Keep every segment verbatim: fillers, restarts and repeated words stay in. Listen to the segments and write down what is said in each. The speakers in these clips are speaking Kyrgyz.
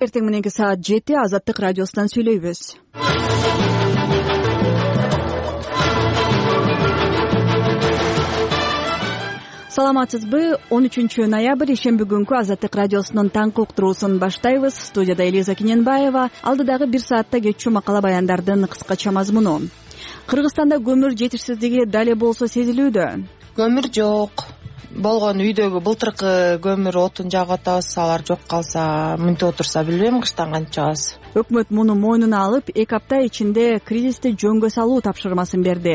Эртең мененки саат жети Азаттык радиосунан сүйлөйбүз. Саламатсызбы? он үчүнчү ноябрь ишемби күнкү Азаттык радиосунун таңкы уктуруусун баштайбыз. Студияда Элиза Киненбаева. Алдыдагы бир саатта кетчү макала баяндардын кыскача мазмуну. Кыргызстанда көмүр жетишсиздиги дале болсо сезилүүдө. Көмүр жок. Болгон үйдөгү былтыркы көмүр отун жагып атабыз, алар жок калса, мынтип отурса билбейм кыштан кантип чыгабыз. Өкмөт муну мойнуна алып, эки апта ичинде кризисти жөнгө салуу тапшырмасын берди.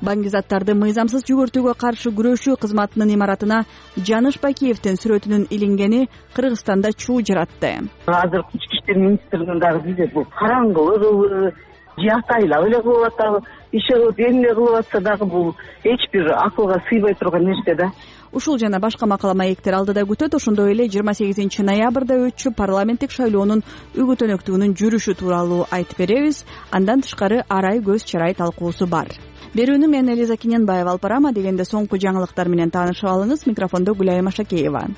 Баңгизаттарды мыйзамсыз жүгүртүүгө каршы күрөшүү кызматынын имаратына Жаныш Бакиевдин сүрөтүнүн илингени Кыргызстанда чуу жаратты. Азыр ички иштер министрлигинин дагы бизе бул караңгылыгыбы, жактайлап эле кылып атабы, иши кылып эмне кылып атса дагы бул эч бир акылга сыйбай турган нерсе да. Ушул жана башка макала маектер алдыда күтөт. Ошондой эле жыйырма сегизинчи ноябрда өтчү парламенттик шайлоонун үгүтөнөктүгүнүн жүрүшү тууралуу айтып беребиз. Андан тышкары арай көз чарай талкуусу бар. Берүүнү мен Элиза Киненбаева алып барам. Дегенде соңку жаңылыктар менен таанышып алыңыз. Микрофондо Гүлайым Ашакеева.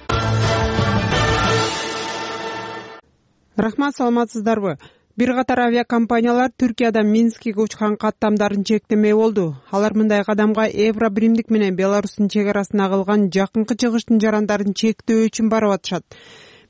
Рахмат, саламатсыздарбы? Бир катар авиакомпаниялар Түркиядан Минскке учкан каттамдарын чектемей болду. Алар мындай кадамга Евро биримдик менен Беларустун чек арасына кылган жакынкы чыгыштын жарандарын чектөө үчүн барып атышат.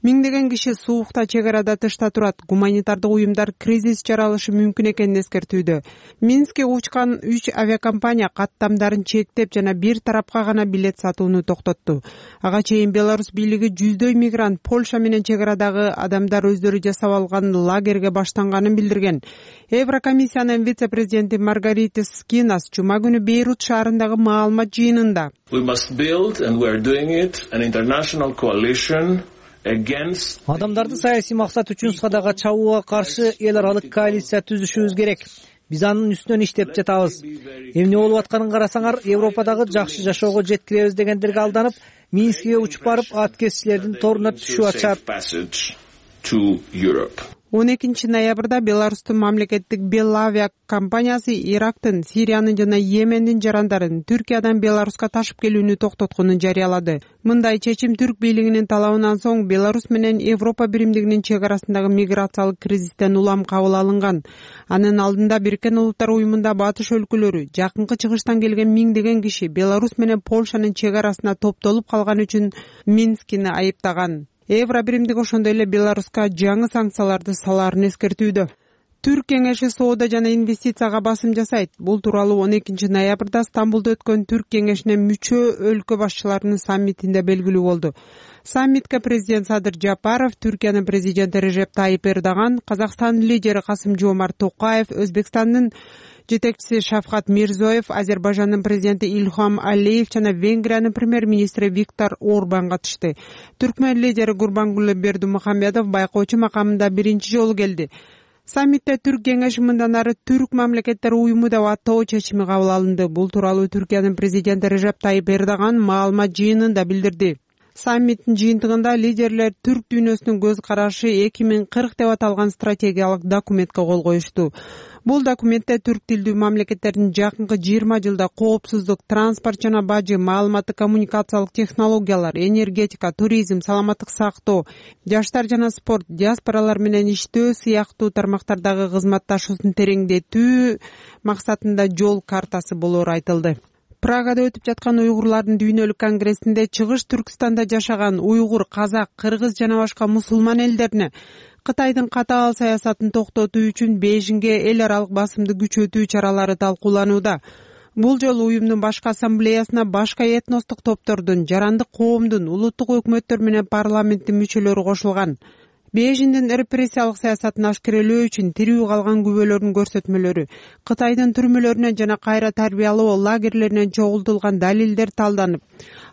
Миңдеген киши суукта чек арада тышта турат. Гуманитардык уюмдар кризис жаралышы мүмкүн экенин эскертүүдө. Минскке учкан үч авиакомпания каттамдарын чектеп жана бир тарапка гана билет сатууну токтотту. Ага чейин Беларус бийлиги жүздөй мигрант Польша менен чек арадагы адамдар өздөрү жасап алган лагерге баштанганын билдирген. Еврокомиссиянын вице-президенти Маргарита Скинас жума күнү Бейрут шаарындагы маалымат жыйынында адамдарды саясий максат үчүн садага чабууга каршы эл аралык коалиция түзүшүбүз керек. Биз анын үстүнөн иштеп жатабыз. Эмне болуп атканын карасаңар, Европадагы жакшы жашоого жеткиребиз дегендерге алданып, Минскке учуп барып, ат кесчилердин торуна түшүп атышат. он экинчи ноябрда Беларустун мамлекеттик Белавиа компаниясы Ирактын, Сириянын жана Йемендин жарандарын Түркиядан Беларуска ташып келүүнү токтотконун жарыялады. Мындай чечим түрк бийлигинин талабынан соң Беларусь менен Европа биримдигинин чек арасындагы миграциялык кризистен улам кабыл алынган. Анын алдында Бириккен Улуттар уюмунда батыш өлкөлөрү жакынкы чыгыштан келген миңдеген киши Беларусь менен Польшанын чек арасына топтолуп калган үчүн Минскини айыптаган. Евро биримдик ошондой эле Беларуска жаңы санкцияларды салаарын эскертүүдө. Түрк кеңеши соода жана инвестицияга басым жасайт. Бул тууралуу он экинчи ноябрда Стамбулда өткөн Түрк кеңешине мүчө өлкө башчыларынын саммитинде белгилүү болду. Саммитке президент Садыр Жапаров, Түркиянын президенти Режеп Тайип Эрдоган, Казакстандын лидери Касым-Жомарт Токаев, Өзбекстандын жетекчиси Шавкат Мирзиёев, Азербайжандын президенти Ильхам Алиев жана Венгриянын премьер-министри Виктор Орбан катышты. Түркмөн лидери Гурбангулы Бердимухамедов байкоочу макамында биринчи жолу келди. Саммитте Түрк кеңеши мындан ары Түрк мамлекеттери уюму деп аттоо чечими кабыл алынды. Бул тууралуу Түркиянын президенти Режеп Тайип Эрдоган маалымат жыйынында билдирди. Саммиттин жыйынтыгында лидерлер түрк дүйнөсүнүн көз карашы эки миң кырк деп аталган стратегиялык документке кол коюшту. Бул документте түрк тилдүү мамлекеттердин жакынкы жыйырма жылда коопсуздук, транспорт жана бажы, маалыматтык коммуникациялык технологиялар, энергетика, туризм, саламаттык сактоо, жаштар жана спорт, диаспоралар менен иштөө сыяктуу тармактардагы кызматташуусун тереңдетүү максатында жол картасы болору айтылды. Прагада өтүп жаткан уйгурлардын дүйнөлүк конгрессинде чыгыш Түркстанда жашаган уйгур, казак, кыргыз жана башка мусулман элдерине Кытайдын катаал саясатын токтотуу үчүн Бейжиңге эл аралык басымды күчөтүү чаралары талкууланууда. Бул жолу уюмдун башкы ассамблеясына башка этностук топтордун, жарандык коомдун, улуттук өкмөттөр менен парламенттин мүчөлөрү кошулган. Бейжиңдин репрессиялык саясатын ашкерелөө үчүн тирүү калган күбөлөрдүн көрсөтмөлөрү, Кытайдын түрмөлөрүнөн жана кайра тарбиялоо лагерлеринен чогултулган далилдер талданып,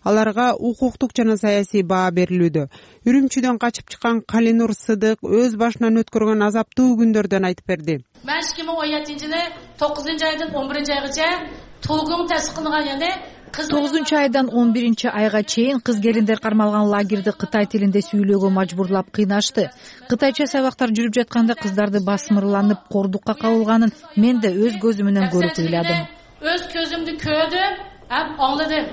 аларга укуктук жана саясий баа берилүүдө. Үрүмчүдөн качып чыккан Калинур Сыдык өз башынан өткөргөн азаптуу күндөрдөн айтып берди. Мен эки миң он жетинчи жылы тогузунчу айдан он биринчи айгача толугун тасдиклаган эне тогузунчу айдан он биринчи айга чейин кыз келиндер кармалган лагерди кытай тилинде сүйлөөгө мажбурлап кыйнашты. Кытайча сабактар жүрүп жатканда кыздарды басмырланып кордукка кабылганын мен да өз көзүм менен көрүп ыйладым. Өз көзүмдү көрдүм, ам аңладым.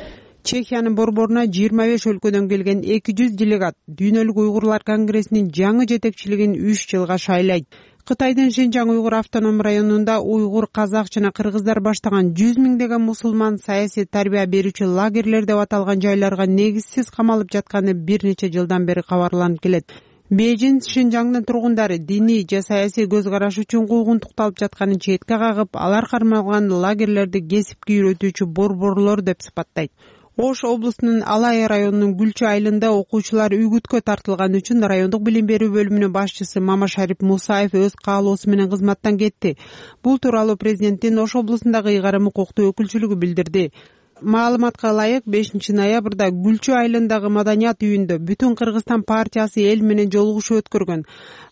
Чехиянын борборуна жыйырма беш өлкөдөн келген эки жүз делегат Дүйнөлүк уйгурлар конгрессинин жаңы жетекчилигин үч жылга шайлайт. Кытайдын Шинжаң уйгур автоном районунда уйгур, казак жана кыргыздар баштаган жүз миңдеген мусулман саясий тарбия берүүчү лагерлер деп аталган жайларга негизсиз камалып жатканы бир нече жылдан бери кабарланып келет. Бейжин Шинжаңдын тургундары диний же саясий көз караш үчүн куугунтукталып жатканын четке кагып, алар кармалган лагерлерди кесипке үйрөтүүчү борборлор деп сыпаттайт. Ош облусунун Алай районунун Гүлчү айылында окуучулар үгүткө тартылган үчүн райондук билим берүү бөлүмүнүн башчысы Мамашарип Мусаев өз каалоосу менен кызматтан кетти. Бул тууралуу президенттин Ош облусундагы ыйгарым укуктуу өкүлчүлүгү билдирди. Маалыматка ылайык, бешинчи ноябрда Гүлчү айылындагы маданият үйүндө Бүтүн Кыргызстан партиясы эл менен жолугушуу өткөргөн.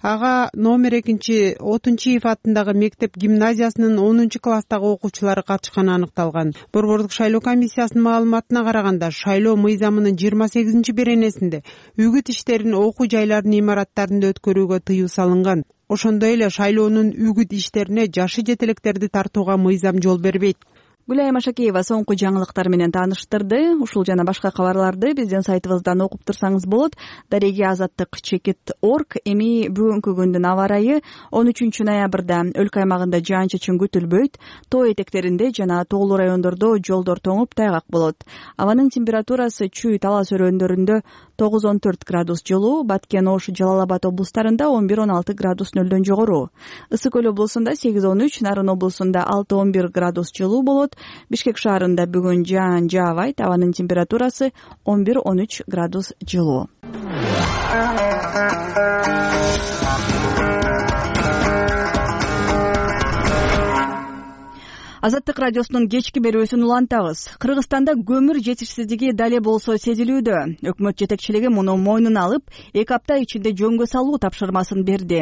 Ага номер экинчи Отунчиев атындагы мектеп гимназиясынын онунчу класстагы окуучулары катышканы аныкталган. Борбордук шайлоо комиссиясынын маалыматына караганда, шайлоо мыйзамынын жыйырма сегизинчи беренесинде үгүт иштерин окуу жайларынын имараттарында өткөрүүгө тыюу салынган. Ошондой эле шайлоонун үгүт иштерине жашы жете электерди тартууга мыйзам жол бербейт. Гүлайым Ашакеева соңку жаңылыктар менен тааныштырды. Ушул жана башка кабарларды биздин сайтыбыздан окуп турсаңыз болот. Дареги азаттык чекит точка орг. Эми бүгүнкү күндүн аба ырайы он үчүнчү ноябрда өлкө аймагында жаан-чачын күтүлбөйт. Тоо этектеринде жана тоолуу райондордо жолдор тоңуп тайгак болот. Абанын температурасы Чүй, Талас өрөөндөрүндө тогуз он төрт градус жылуу, Баткен, Ош, Жалал Абад облустарында он бир он алты градус нөлдөн жогору. Ысык көл облусунда сегиз он үч, Нарын облусунда алты он бир градус жылуу болот. Бишкек шаарында бүгүн жаан жаабайт, абанын температурасы он бир он үч градус жылуу. Азаттык радиосунун кечки берүүсүн улантабыз. Кыргызстанда көмүр жетишсиздиги дале болсо сезилүүдө. Өкмөт жетекчилиги муну мойнуна алып, эки апта ичинде жөнгө салуу тапшырмасын берди.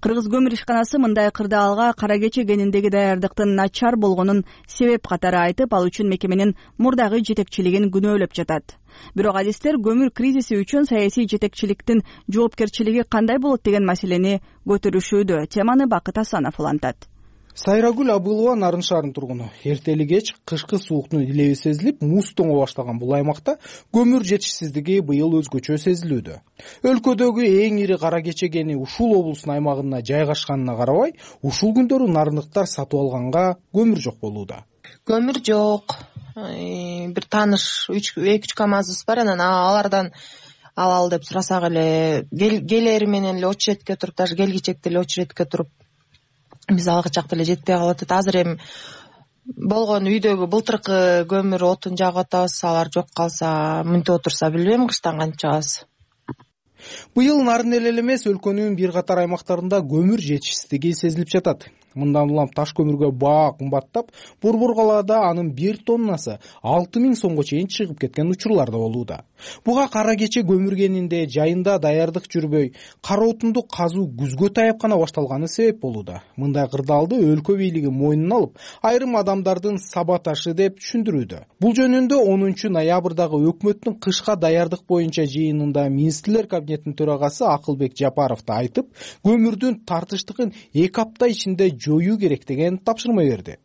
Кыргыз көмүр ишканасы мындай кырдаалга кара кече кениндеги даярдыктын начар болгонун себеп катары айтып, ал үчүн мекеменин мурдагы жетекчилигин күнөөлөп жатат. Бирок адистер көмүр кризиси үчүн саясий жетекчиликтин жоопкерчилиги кандай болот деген маселени көтөрүшүүдө. Теманы Бакыт Асанов улантат. Сайрагүл Абылова Нарын шаарынын тургуну. Эртели кеч кышкы сууктун илеби сезилип, муз тоңо баштаган бул аймакта көмүр жетишсиздиги быйыл өзгөчө сезилүүдө. Өлкөдөгү эң ири кара кече кени ушул облустун аймагына жайгашканына карабай, ушул күндөрү нарындыктар сатып алганга көмүр жок болууда. Көмүр жок. Бир тааныш эки үч КАМАЗыбыз бар, анан алардан алалы деп сурасак эле келери менен эле очередке туруп, даже келгичекте эле очередке туруп биз алгы чакта эле жетпей калып атат. Азыр эми болгон үйдөгү былтыркы көмүр отун жагып атабыз, алар жок калса, мынтип отурса билбейм кыштан кантип чыгабыз. Быйыл Нарын эле эмес, өлкөнүн бир катар аймактарында көмүр жетишсиздиги сезилип жатат. Мындан улам таш көмүргө баа кымбаттап, Борбор калаада анын бир тоннасы алты миң сомго чейин чыгып кеткен учурлар да болууда. Буга кара кече көмүр кенинде жайында даярдык жүрбөй, кара отунду казуу күзгө таяп гана башталганы себеп болууда. Мындай кырдаалды өлкө бийлиги мойнуна алып, айрым адамдардын саботажы деп түшүндүрүүдө. Бул жөнүндө онунчу ноябрдагы өкмөттүн кышка даярдык боюнча жыйынында министрлер кабинетинин төрагасы Акылбек Жапаров да айтып, көмүрдүн тартыштыгын эки апта ичинде жоюу керек деген тапшырма берди.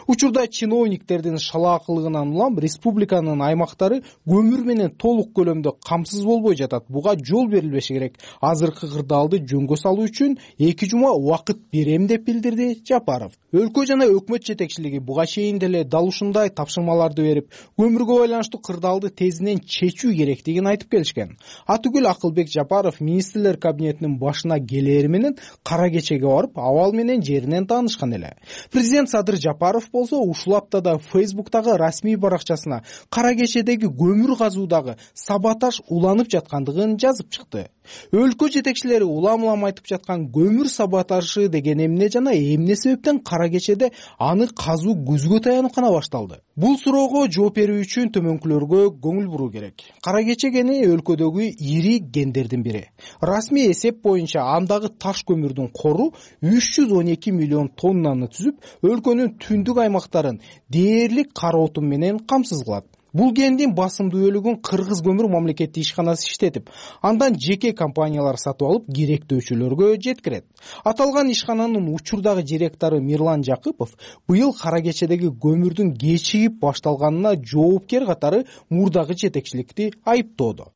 Учурда чиновниктердин шалаакылыгынан улам республиканын аймактары көмүр менен толук көлөмдө камсыз болбой жатат. Буга жол берилбеши керек. Азыркы кырдаалды жөнгө салуу үчүн эки жума убакыт берем деп билдирди Жапаров. Өлкө жана өкмөт жетекчилиги буга чейин деле дал ушундай тапшырмаларды берип, көмүргө байланыштуу кырдаалды тезинен чечүү керектигин айтып келишкен. Атүгүл Акылбек Жапаров министрлер кабинетинин башына келери менен кара кечеге барып, абал менен жеринен таанышкан эле. Президент Садыр Жапаров болсо ушул аптада Фейсбуктагы расмий баракчасына кара кечедеги көмүр казуудагы саботаж уланып жаткандыгын жазып чыкты. Өлкө жетекчилери улам-улам айтып жаткан көмүр саботажы деген эмне жана эмне себептен кара кечеде аны казуу күзгө таянып гана башталды? Бул суроого жооп берүү үчүн төмөнкүлөргө көңүл буруу керек. Кара кече кени өлкөдөгү ири кендердин бири. Расмий эсеп боюнча андагы таш көмүрдүн кору үч жүз он эки миллион тоннаны түзүп, өлкөнүн түндүк аймактарын дээрлик кара отун менен камсыз кылат. Бул кендин басымдуу бөлүгүн Кыргыз көмүр мамлекеттик ишканасы иштетип, андан жеке компаниялар сатып алып керектөөчүлөргө жеткирет. Аталган ишкананын учурдагы директору Мирлан Жакыпов быйыл кара кечедеги көмүрдүн кечигип башталганына жоопкер катары мурдагы жетекчиликти айыптоодо.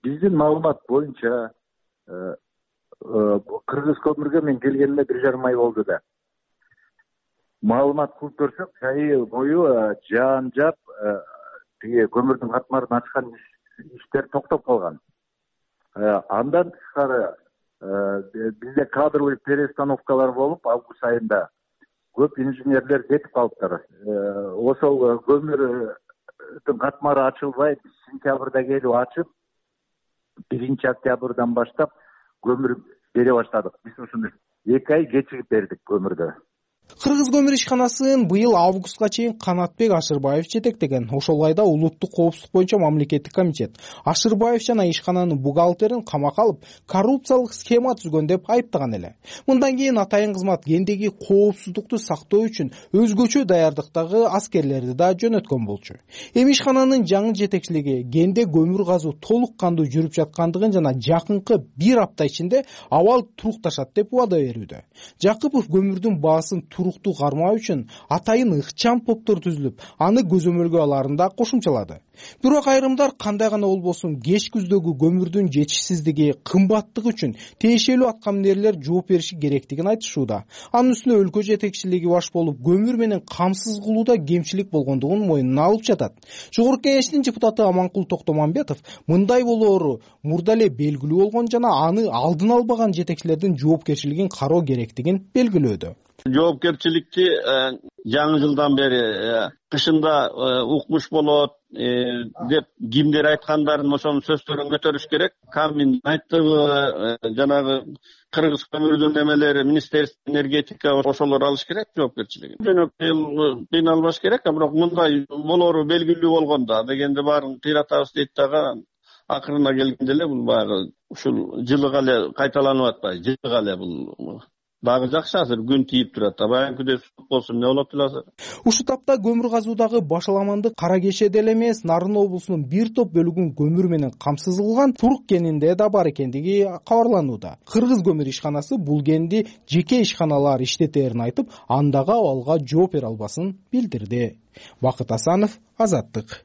Биздин маалымат боюнча Кыргыз көмүргө мен келгениме бир жарым ай болду да. Маалымат кылып көрсөк, жайы бою жаан жап, тиги көмүрдүн катмарын ачкан иштер токтоп калган. Андан тышкары бизде кадровый перестановкалар болуп, август айында көп инженерлер кетип калыптыр. Ошол көмүрдүн катмары ачылбай, сентябрда келип ачып, биринчи октябрдан баштап көмүр бере баштадык. Биз ушуну эки ай кечигип бердик көмүрдү. Кыргыз көмүр ишканасын быйыл августка чейин Канатбек Ашырбаев жетектеген. Ошол айда улуттук коопсуздук боюнча мамлекеттик комитет Ашырбаев жана ишкананын бухгалтерин камакка алып, коррупциялык схема түзгөн деп айыптаган эле. Мындан кийин атайын кызмат кендеги коопсуздукту сактоо үчүн өзгөчө даярдыктагы аскерлерди да жөнөткөн болчу. Эми ишкананын жаңы жетекчилиги кенде көмүр казуу толук кандуу жүрүп жаткандыгын жана жакынкы бир апта ичинде абал турукташат деп убада берүүдө. Жакыпов көмүрдүн баасын туруктуу кармоо үчүн атайын ыкчам топтор түзүлүп, аны көзөмөлгө алаарын да кошумчалады. Бирок айрымдар кандай гана болбосун кеч күздөгү көмүрдүн жетишсиздиги, кымбаттыгы үчүн тиешелүү аткаминерлер жооп бериши керектигин айтышууда. Анын үстүнө өлкө жетекчилиги баш болуп, көмүр менен камсыз кылууда кемчилик болгондугун мойнуна алып жатат. Жогорку Кеңештин депутаты Аманкул Токтомамбетов мындай болоору мурда эле белгилүү болгон жана аны алдын албаган жетекчилердин жоопкерчилигин кароо керектигин белгилөөдө. Жоопкерчиликти жаңы жылдан бери кышында укмуш болот деп кимдер айткандарын ошонун сөздөрүн көтөрүш керек. Камин айттыбы, жанагы Кыргыз көмүрдүн эмелери, Министерство энергетика ошолор алыш керек жоопкерчилигин. Жөнөкөй кыйналбаш керек, бирок мындай болоору белгилүү болгондо дегенде баарын кыйратабыз дейт дагы, акырына келгенде эле бул баягы ушул жылыга эле кайталанып атпайбы? Жылыга эле бул дагы жакшы, азыр күн тийип турат. Баягы сук болсун эмне болот эле азыр. Ушул тапта көмүр казуудагы башаламанды Кара Кечеде эле эмес, Нарын облусунун бир топ бөлүгүн көмүр менен камсыз кылган Турук кенинде да бар экендиги кабарланууда. Кыргыз көмүр ишканасы бул кенди жеке ишканалар иштетерин айтып, андагы абалга жооп бере албасын билдирди. Бакыт Асанов, Азаттык.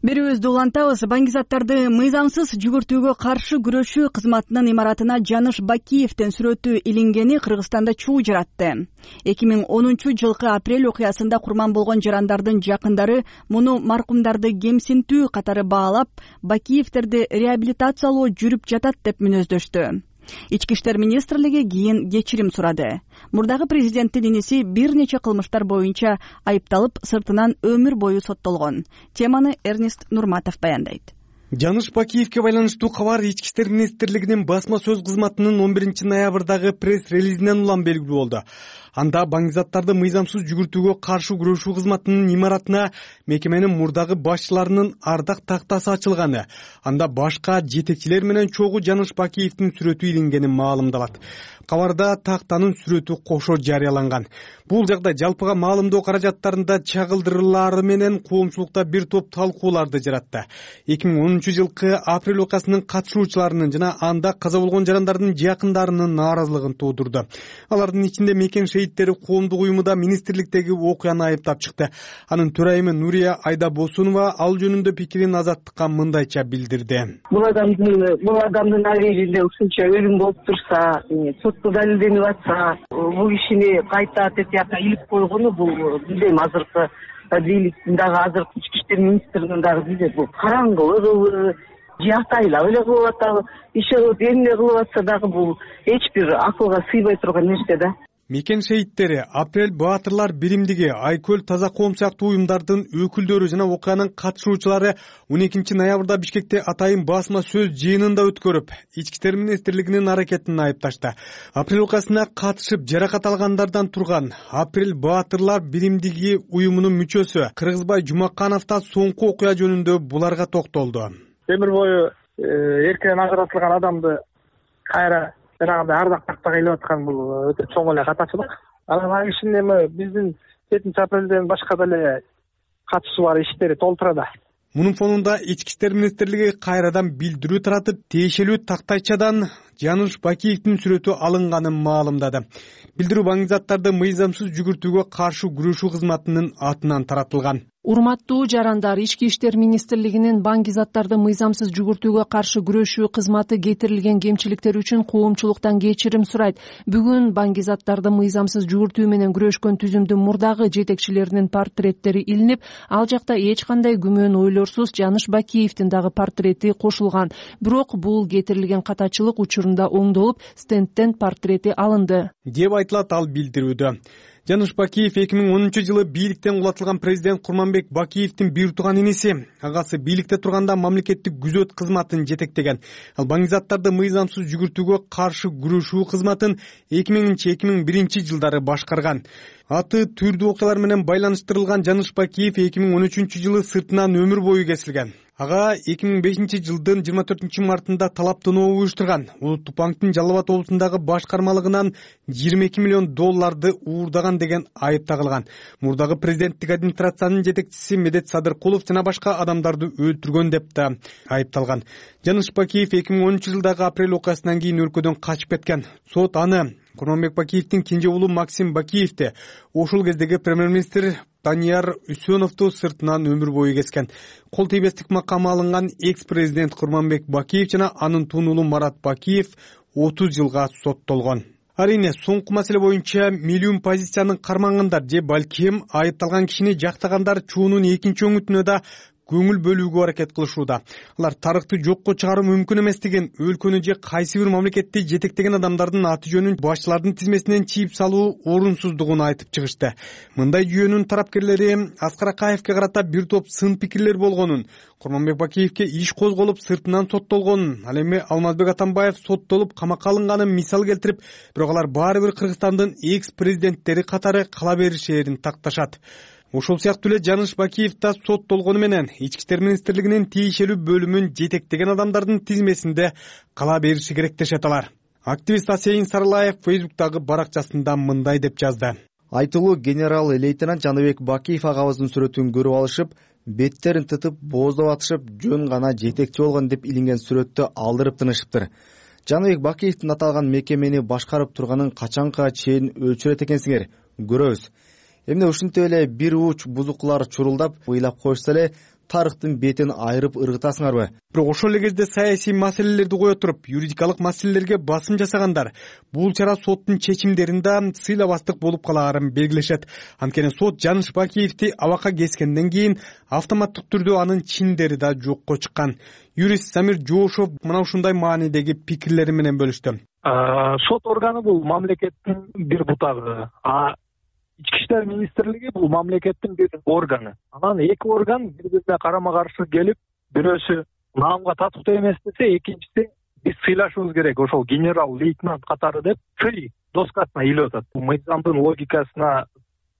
Берүүбүздү улантабыз. Баңгизаттарды мыйзамсыз жүгүртүүгө каршы күрөшүү кызматынын имаратына Жаныш Бакиевдин сүрөтү илингени Кыргызстанда чуу жаратты. эки миң онунчу жылкы апрель окуясында курман болгон жарандардын жакындары муну маркумдарды кемсинтүү катары баалап, Бакиевдерди реабилитациялоо жүрүп жатат деп мүнөздөштү. Ички иштер министрлиги кийин кечирим сурады. Мурдагы президенттин иниси бир нече кылмыштар боюнча айыпталып, сыртынан өмүр бою соттолгон. Теманы Эрнест Нурматов баяндайт. Жаныш Бакиевке байланыштуу кабар Ички иштер министрлигинин басма сөз кызматынын он биринчи ноябрдагы пресс-релизинен улам белгилүү болду. Анда баңгизаттарды мыйзамсыз жүгүртүүгө каршы күрөшүү кызматынын имаратына мекеменин мурдагы башчыларынын ардак тактасы ачылганы, анда башка жетекчилер менен чогуу Жаныш Бакиевдин сүрөтү илингени маалымдалат. Кабарда тактанын сүрөтү кошо жарыяланган. Бул жагдай жалпыга маалымдоо каражаттарында чагылдырылаары менен коомчулукта бир топ талкууларды жаратты. эки миң онунчу жылкы апрель окуясынын катышуучуларынын жана анда каза болгон жарандардын жакындарынын нааразылыгын туудурду. Алардын ичинде Мекен шейиттери коомдук уюму да министрликтеги окуяны айыптап чыкты. Анын төрайымы Нурия Айдабосунова ал жөнүндө пикирин Азаттыкка мындайча билдирди. Бул адамдын бул адамдын абийиринде ушунча өлүм болуп турса, сотто далилденип атса, бул кишини кайта тетиякка илип койгону бул билбейм, азыркы бийликтин дагы, азыркы ички иштер министринин дагы билбейм, бул караңгылыгыбы, жактайлап эле кылып атабы, иши кылып эмне кылып атса дагы бул эч бир акылга сыйбай турган нерсе да. Мекен шейиттери, Апрель Баатырлар биримдиги, Айкөл Таза коом сыяктуу уюмдардын өкүлдөрү жана окуянын катышуучулары он экинчи ноябрда Бишкекте атайын басма сөз жыйынында өткөрүп, Ички иштер министрлигинин аракетин айыпташты. Апрель окуясына катышып жаракат алгандардан турган Апрель Баатырлар биримдиги уюмунун мүчөсү Кыргызбай Жумаканов да соңку окуя жөнүндө буларга токтолду. Темир бою эркинен ажыратылган адамды кайра жанагындай ардак тактага илип аткан бул өтө чоң эле катачылык. Анан ал кишинин эми биздин жетинчи апрелден башка деле катышы бар иштери толтура да. Мунун фонунда ички иштер министрлиги кайрадан билдирүү таратып, тиешелүү тактайчадан Жаныш Бакиевдин сүрөтү алынганын маалымдады. Билдирүү баңгизаттарды мыйзамсыз жүгүртүүгө каршы күрөшүү кызматынын атынан таратылган. Урматтуу жарандар, ички иштер министрлигинин баңгизаттарды мыйзамсыз жүгүртүүгө каршы күрөшүү кызматы кетирилген кемчиликтер үчүн коомчулуктан кечирим сурайт. Бүгүн баңгизаттарды мыйзамсыз жүгүртүү менен күрөшкөн түзүмдүн мурдагы жетекчилеринин портреттери илинип, ал жакта эч кандай күмөн ойлорсуз Жаныш Бакиевдин дагы портрети кошулган. Бирок бул кетирилген катачылык учурунда оңдолуп, стендтен портрети алынды деп айтылат ал билдирүүдө. Жаныш Бакиев эки миң онунчу жылы бийликтен кулатылган президент Курманбек Бакиевдин бир тууган иниси. Агасы бийликте турганда мамлекеттик күзөт кызматын жетектеген. Ал баңгизаттарды мыйзамсыз жүгүртүүгө каршы күрөшүү кызматын эки миңинчи эки миң биринчи жылдары башкарган. Аты түрдүү окуялар менен байланыштырылган Жаныш Бакиев эки миң он үчүнчү жылы сыртынан өмүр бою кесилген. Ага эки миң бешинчи жылдын жыйырма төртүнчү мартында талаптануу уюштурган. Улуттук банктын Жалал Абад облусундагы башкармалыгынан жыйырма эки миллион долларды уурдаган деген айып тагылган. Мурдагы президенттик администрациянын жетекчиси Медет Садыркулов жана башка адамдарды өлтүргөн деп да айыпталган. Жаныш Бакиев эки миң онунчу жылдагы апрель окуясынан кийин өлкөдөн качып кеткен. Сот аны Курманбек Бакиевдин кенже уулу Максим Бакиевди, ошол кездеги премьер-министр Данияр Үсөновду сыртынан өмүр бою кескен. Кол тийбестик макамы алынган экс-президент Курманбек Бакиев жана анын тун уулу Марат Бакиев отуз жылга соттолгон. Арине, соңку маселе боюнча миллион позициянын кармангандар же балким айыпталган кишини жактагандар чуунун экинчи өңүтүнө да көңүл бөлүүгө аракет кылышууда. Алар тарыхты жокко чыгаруу мүмкүн эместигин, өлкөнү же кайсы бир мамлекетти жетектеген адамдардын аты жөнүн башчылардын тизмесинен чийип салуу орунсуздугун айтып чыгышты. Мындай жүйөнүн тарапкерлери Аскар Акаевге карата бир топ сын пикирлер болгонун, Курманбек Бакиевге иш козголуп сыртынан соттолгонун, ал эми Алмазбек Атамбаев соттолуп камакка алынганын мисал келтирип, бирок алар баары бир Кыргызстандын экс-президенттери катары кала беришээрин такташат. Ошол сыяктуу эле Жаныш Бакиев да соттолгону менен ички иштер министрлигинин тиешелүү бөлүмүн жетектеген адамдардын тизмесинде кала бериши керек дешет алар. Активист Асейин Сарылаев Фейсбуктагы баракчасында мындай деп жазды. Айтылуу генерал-лейтенант Жаныбек Бакиев агабыздын сүрөтүн көрүп алышып, беттерин тытып, бооздоп атышып, жөн гана жетекчи болгон деп илинген сүрөттү алдырып тынышыптыр. Жаныбек Бакиевдин аталган мекемени башкарып турганын качанга чейин өлчүрөт экенсиңер, көрөбүз. Эмне ушинтип эле бир уч бузукулар чурулдап ыйлап коюшса эле тарыхтын бетин айырып ыргытасыңарбы? Бирок ошол эле кезде саясий маселелерди кое туруп, юридикалык маселелерге басым жасагандар бул чара соттун чечимдеринде сыйлабастык болуп калаарын белгилешет. Анткени сот Жаныш Бакиевди абакка кескенден кийин автоматтык түрдө анын чиндери да жокко чыккан. Юрист Самир Жоошов мына ушундай маанидеги пикирлери менен бөлүштү. Сот органы бул мамлекеттин бир бутагы. Ички иштер министрлиги бул мамлекеттин бир органы. Анан эки орган бири-бирине карама-каршы келип, бирөөсү наамга татыктуу эмес десе, экинчиси биз сыйлашыбыз керек, ошол генерал-лейтенант катары деп сый доскасына илип атат. Мыйзамдын логикасына,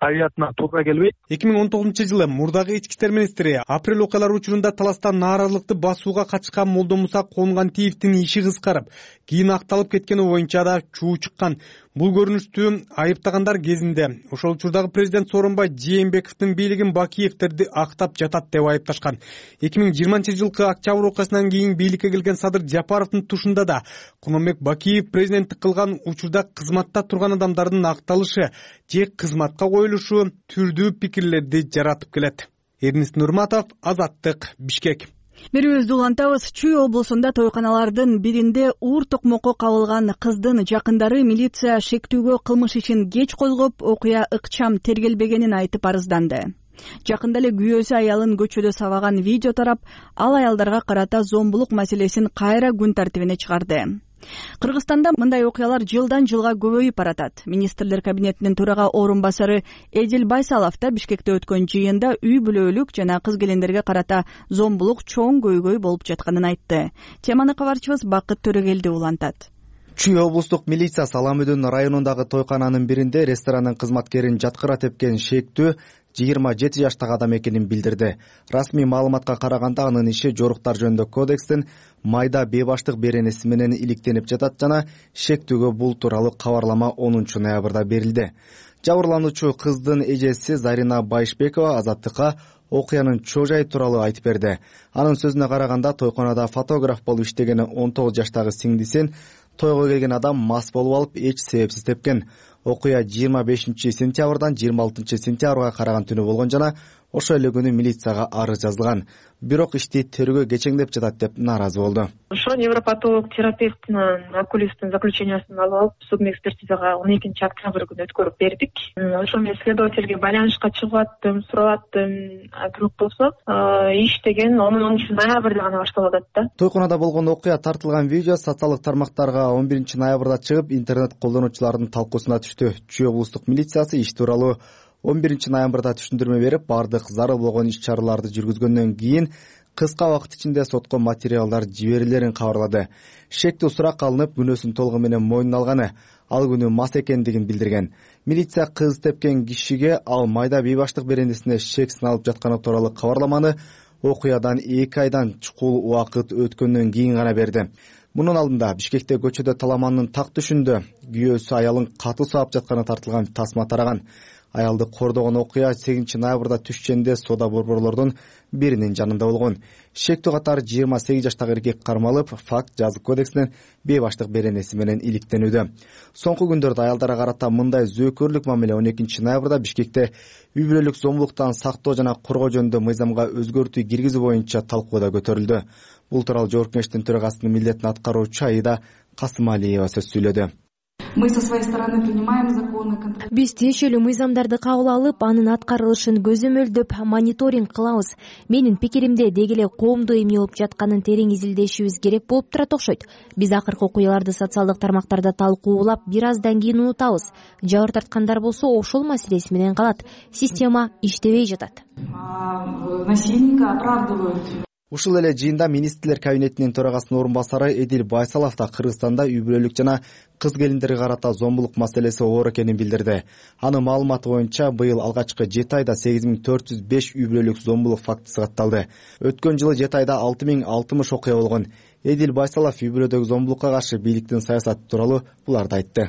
табиятына туура келбейт. эки миң он тогузунчу жылы мурдагы ички иштер министри апрель окуялары учурунда таласта нааразылыкты басууга катышкан Молдомуса Конгантиевдин иши кыскарып, кийин акталып кеткени боюнча да чуу чыккан. Бул көрүнүштү айыптагандар кезинде ошол учурдагы президент Сооронбай Жээнбековдун бийлигин Бакиевтерди актап жатат деп айыпташкан. эки миң жыйырманчы жылкы октябрь окуясынан кийин бийликке келген Садыр Жапаровдун тушунда да Курманбек Бакиев президенттик кылган учурда кызматта турган адамдардын акталышы же кызматка коюлушу түрдүү пикирлерди жаратып келет. Эрнис Нурматов, Азаттык, Бишкек. Берүүбүздү улантабыз. Чүй облусунда тойканалардын биринде уур токмокко кабылган кыздын жакындары милиция шектүүгө кылмыш ишин кеч козгоп, окуя ыкчам тергелбегенин айтып арызданды. Жакында эле күйөөсү аялын көчөдө сабаган видео тарап, ал аялдарга карата зомбулук маселесин кайра күн тартибине чыгарды. Кыргызстанда мындай окуялар жылдан жылга көбөйүп баратат. Министрлер кабинетинин төрага орун басары Эдил Байсалов да Бишкекте өткөн жыйында үй бүлөлүк жана кыз келиндерге карата зомбулук чоң көйгөй болуп жатканын айтты. Теманы кабарчыбыз Бакыт Төрөгелди улантат. Чүй облустук милиция Саламөдөн районундагы тойкананын биринде ресторанын кызматкерин жаткыра тепкен шектүү жыйырма жети жаштагы адам экенин билдирди. Расмий маалыматка караганда анын иши жоруктар жөнүндө кодекстин майда бейбаштык беренеси менен иликтенип жатат жана шектүүгө бул тууралуу кабарлама онунчу ноябрда берилди. Жабырлануучу кыздын эжеси Зарина Байшбекова Азаттыкка окуянын чоо жайы тууралуу айтып берди. Анын сөзүнө караганда тойкоонада фотограф болуп иштеген он тогуз жаштагы сиңдисин тойго келген адам мас болуп алып эч себепсиз тепкен. Окуя жыйырма бешинчи сентябрдан жыйырма алтынчы сентябрга караган түнү болгон жана ошол эле күнү милицияга арыз жазылган. Бирок ишти тергөө кечеңдеп жатат деп нааразы болду. Ошо невропатолог терапевтинин окулисттин заключениясын алып алып судмэкспертизага он экинчи октябрь күнү өткөрүп бердик. Ошо мен следовательге байланышка чыгып аттым, сурап аттым. Бирок болсо иш деген онунчу ноябрда гана башталып атат да. Тойкоонада болгон окуя тартылган видео социалдык тармактарга он биринчи ноябрда чыгып, интернет колдонуучулардын талкуусуна түштү. Чүй облустук милициясы иш тууралуу он биринчи ноябрда түшүндүрмө берип, бардык зарыл болгон иш-чараларды жүргүзгөндөн кийин кыска убакыт ичинде сотко материалдар жиберилерин кабарлады. Шектүү сурак алынып, күнөөсүн толугу менен мойнуна алганы, ал күнү мас экендигин билдирген. Милиция кыз тепкен кишиге ал майда бейбаштык беренесине шек сыналып жатканы тууралуу кабарламаны окуядан эки айдан чукул убакыт өткөндөн кийин гана берди. Мунун алдында Бишкекте көчөдө таламандын так түшүндө күйөөсү аялын катуу саап жатканы тартылган тасма тараган. Аялды кордогон окуя сегизинчи ноябрда түшченде сода борборлордун биринин жанында болгон. Шектүү катары жыйырма сегиз жаштагы эркек кармалып, факт жазык кодексинен бейбаштык беренеси менен иликтенүүдө. Соңку күндөрдө аялдарга карата мындай зөөкөрлүк мамиле он экинчи ноябрда Бишкекте үй бүлөлүк зомбулуктан сактоо жана коргоо жөнүндө мыйзамга өзгөртүү киргизүү боюнча талкууда көтөрүлдү. Бул тууралуу Жогорку Кеңештин төрагасынын милдетин аткаруучу Аида Касымалиева сөз сүйлөдү. Биз тиешелүү мыйзамдарды кабыл алып, анын аткарылышын көзөмөлдөп мониторинг кылабыз. Менин пикиримде деги эле коомдо эмне болуп жатканын терең изилдешибиз керек болуп турат окшойт. Биз акыркы окуяларды социалдык тармактарда талкуулап, бир аздан кийин унутабыз. Жабыр тарткандар болсо ошол маселеси менен калат. Система иштебей жатат. Насильника оправдывают. Ушул эле жыйында министрлер кабинетинин төрагасынын орун басары Эдил Байсалов да Кыргызстанда үй бүлөлүк жана кыз келиндерге карата зомбулук маселеси оор экенин билдирди. Анын маалыматы боюнча быйыл алгачкы жети айда сегиз миң төрт жүз беш үй бүлөлүк зомбулук фактысы катталды. Өткөн жылы жети айда алты миң алтымыш окуя болгон. Эдил Байсалов үй бүлөдөгү зомбулукка каршы бийликтин саясаты тууралуу буларды айтты.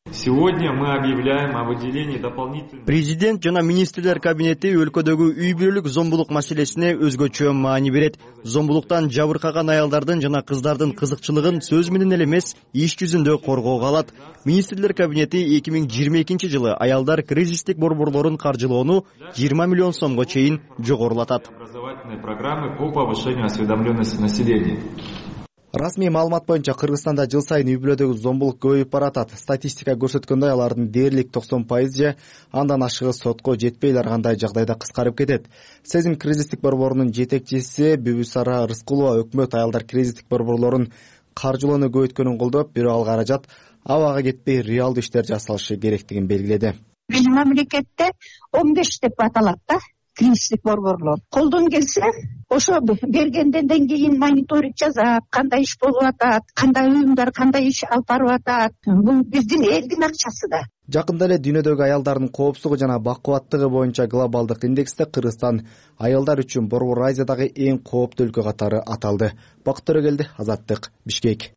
Сегодня мы объявляем о выделении дополнительных. Президент жана министрлер кабинети өлкөдөгү үй бүлөлүк зомбулук маселесине өзгөчө маани берет. Зомбулуктан жабыркаган аялдардын жана кыздардын кызыкчылыгын сөз менен эле эмес, иш жүзүндө коргоого алат. Министрлер кабинети эки миң жыйырма экинчи жылы аялдар кризистик борборлорун каржылоону жыйырма миллион сомго чейин жогорулатат. Образовательные программы по повышению осведомленности населения. Расмий маалымат боюнча Кыргызстанда жыл сайын үй бүлөдөгү зомбулук көбөйүп баратат. Статистика көрсөткөндөй, алардын дээрлик токсон пайыз же андан ашыгы сотко жетпей ар кандай жагдайда кыскарып кетет. Сезим кризистик борборунун жетекчиси Бүбүсара Рыскулова өкмөт аялдар кризистик борборлорун каржылоону көбөйткөнүн колдоп, бирок ал каражат абага кетпей реалдуу иштер жасалышы керектигин белгиледи. Биздин мамлекетте он беш деп аталат да. Кризистик борборлор колдон келсе, ошо бергенден кийин мониторинг жасап, кандай иш болуп атат, кандай уюмдар кандай иш алып барып атат. Бул биздин элдин акчасы да. Жакында эле дүйнөдөгү аялдардын коопсуздугу жана бакубаттыгы боюнча глобалдык индексте Кыргызстан аялдар үчүн Борбор Азиядагы эң кооптуу өлкө катары аталды. Бакыт Төрөгелди, Азаттык, Бишкек.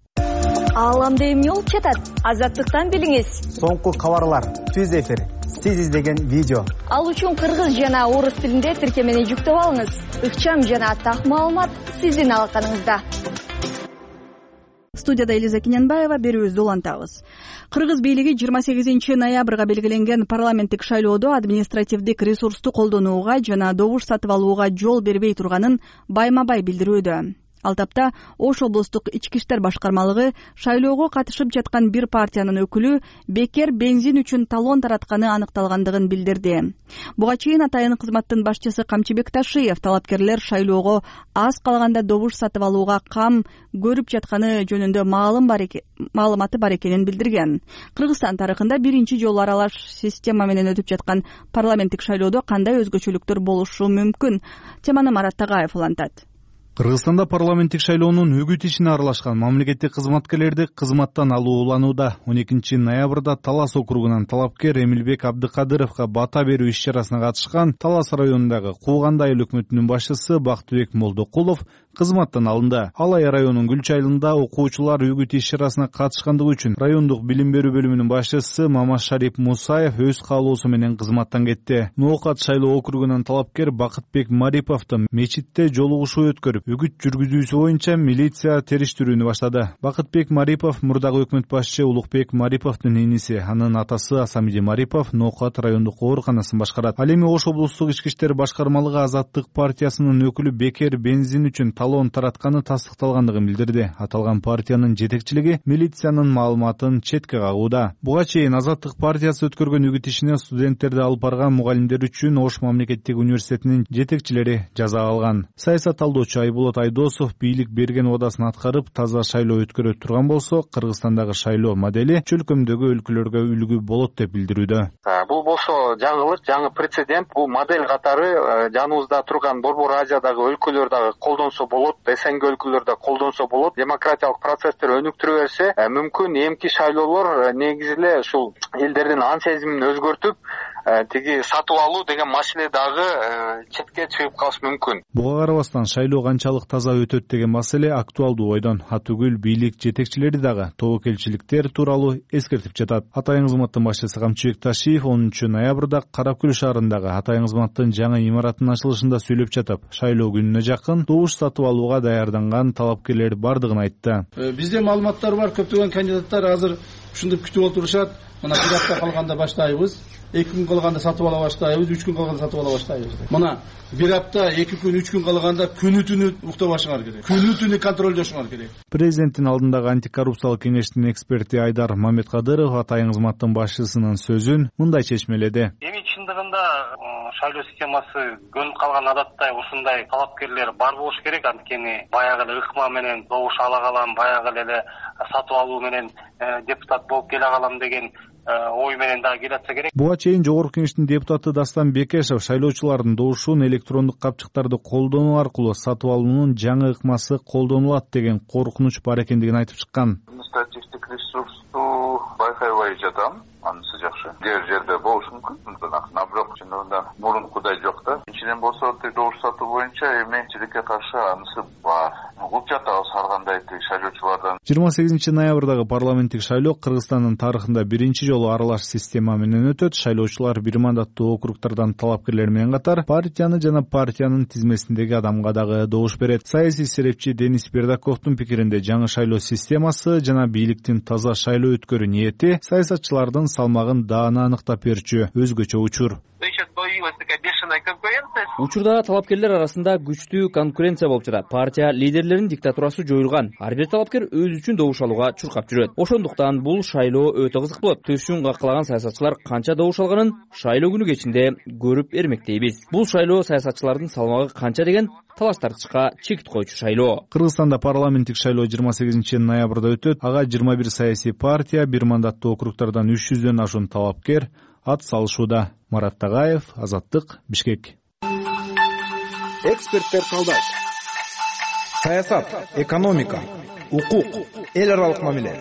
Ааламда эмне болуп жатат? Азаттыктан билиңиз. Соңку кабарлар, түз эфир, сиз издеген видео. Ал үчүн кыргыз жана орус тилинде тиркемени жүктөп алыңыз. Ыкчам жана так маалымат сиздин алаканыңызда. Студияда Элиза Кененбаева, берүүбүздү улантабыз. Кыргыз бийлиги жыйырма сегизинчи ноябрга белгиленген парламенттик шайлоодо административдик ресурсту колдонууга жана добуш сатып алууга жол бербей турганын байма-бай билдирүүдө. Ал тапта Ош облустук ички иштер башкармалыгы шайлоого катышып жаткан бир партиянын өкүлү бекер бензин үчүн талон таратканы аныкталгандыгын билдирди. Буга чейин атайын кызматтын башчысы Камчыбек Ташиев талапкерлер шайлоого аз калганда добуш сатып алууга кам көрүп жатканы жөнүндө маалыматы бар экенин билдирген. Кыргызстан тарыхында биринчи жолу аралаш система менен өтүп жаткан парламенттик шайлоодо кандай өзгөчөлүктөр болушу мүмкүн? Теманы Марат Тагаев улантат. Кыргызстанда парламенттик шайлоонун үгүт ишине аралашкан мамлекеттик кызматкерлерди кызматтан алуу уланууда. он экинчи ноябрда Талас округунан талапкер Эмилбек Абдыкадыровго бата берүү иш чарасына катышкан Талас районундагы Кууганды айыл өкмөтүнүн башчысы Бактыбек Молдокулов кызматтан алынды. Алай районунун Гүлчү айылында окуучулар үгүт иш чарасына катышкандыгы үчүн райондук билим берүү бөлүмүнүн башчысы Мамашарип Мусаев өз каалоосу менен кызматтан кетти. Ноокат шайлоо округунан талапкер Бакытбек Мариповду мечитте жолугушуу өткөрүп, үгүт жүргүзүүсү боюнча милиция териштирүүнү баштады. Бакытбек Марипов мурдагы өкмөт башчы Улукбек Мариповдун иниси, анын атасы Асамиди Марипов Ноокат райондук ооруканасын башкарат. Ал эми Ош облустук ички иштер башкармалыгы Азаттык партиясынын өкүлү Бекер бензин үчүн талон таратканы тастыкталгандыгын билдирди. Аталган партиянын жетекчилиги милициянын маалыматын четке кагууда. Буга чейин Азаттык партиясы өткөргөн үгүт ишине студенттерди алып барган мугалимдер үчүн Ош мамлекеттик университетинин жетекчилери жаза алган. Саясат талдоочу Айболот Айдосов бийлик берген убадасын аткарып, таза шайлоо өткөрө турган болсо, Кыргызстандагы шайлоо модели чөлкөмдөгү өлкөлөргө үлгү болот деп билдирүүдө. Бул болсо жаңылык, жаңы прецедент. Бул модель катары жаныбызда турган Борбор Азиядагы өлкөлөр дагы колдонсо болот, СНГ өлкөлөрдө колдонсо болот. Демократиялык процесстер өнүктүрө берсе, мүмкүн эмки шайлоолор негизи эле ушул элдердин ан сезимин өзгөртүп, тиги сатып алуу деген маселе дагы четке чыгып калышы мүмкүн. Буга карабастан шайлоо канчалык таза өтөт деген маселе актуалдуу бойдон. Атүгүл бийлик жетекчилери дагы тобокелчиликтер тууралуу эскертип жатат. Атайын кызматтын башчысы Камчыбек Ташиев онунчу ноябрда Каракөл шаарындагы Атайын кызматтын жаңы имаратынын ачылышында сүйлөп жатып, шайлоо күнүнө жакын добуш сатып алууга даярданган талапкерлер бардыгын айтты. Бизде маалыматтар бар, көптөгөн кандидаттар азыр ушинтип күтүп отурушат. Мына бир апта калганда баштайбыз. эки күн калганда сатып ала баштайбыз, үч күн калганда сатып ала баштайбыз. Мына бир апта, эки күн, үч күн калганда күнү түнү уктабашыңар керек. Күнү түнү контролдошуңар керек. Президенттин алдындагы антикоррупциялык кеңештин эксперти Айдар Маметкадыров Атайын кызматтын башчысынын сөзүн мындай чечмеледи. Эми чындыгында шайлоо системасы көнүп калган адаттай ушундай талапкерлер бар болуш керек. Анткени баягы эле ыкма менен добуш ала калам, баягы эле сатып алуу менен депутат болуп келе калам деген ой менен да келатса керек. Буга чейин Жогорку Кеңештин депутаты Дастан Бекешев шайлоочулардын добушун электрондук капчыктарды колдонуу аркылуу сатып алуунун жаңы ыкмасы колдонулат деген коркунуч бар экендигин айтып чыккан. Административдик ресурсту байкабай жатам. Анысы жакшы. Дер жерде болушу мүмкүн. А бирок чындыгында мурункудай жок да. Ичинен болсо добуш сатуу боюнча эменчиликке каршы анысы бар. Угуп жатабыз ар кандай шайлоочулардан. жыйырма сегизинчи ноябрдагы парламенттик шайлоо Кыргызстандын тарыхында биринчи жолу аралаш система менен өтөт. Шайлоочулар бир мандаттуу округдардан талапкерлер менен катар партияны жана партиянын тизмесиндеги адамга дагы добуш берет. Саясий серепчи Денис Бердаковдун пикиринде жаңы шайлоо системасы жана бийликтин таза шайлоо өткөрүү ниети саясатчылардын салмагын даана аныктап берчү өзгөчө учур. Учурда талапкерлер арасында күчтүү конкуренция болуп жатат. Партия лидерлеринин диктатурасы жоюлган. Ар бир талапкер өзү үчүн добуш алууга чуркап жүрөт. Ошондуктан бул шайлоо өтө кызык болот. Төшүн каккалаган саясатчылар канча добуш алганын шайлоо күнү кечинде көрүп эрмектейбиз. Бул шайлоо саясатчылардын салмагы канча деген талаш тартышка чекит коючу шайлоо. Кыргызстанда парламенттик шайлоо жыйырма сегизинчи ноябрда өтөт. Ага жыйырма бир саясий партия, бир мандаттуу округдардан үч жүздөн ашуун талапкер ат салышууда. Марат Тагаев, Азаттык, Бишкек. Эксперттер талдайт. Саясат, экономика, укук, эл аралык мамиле,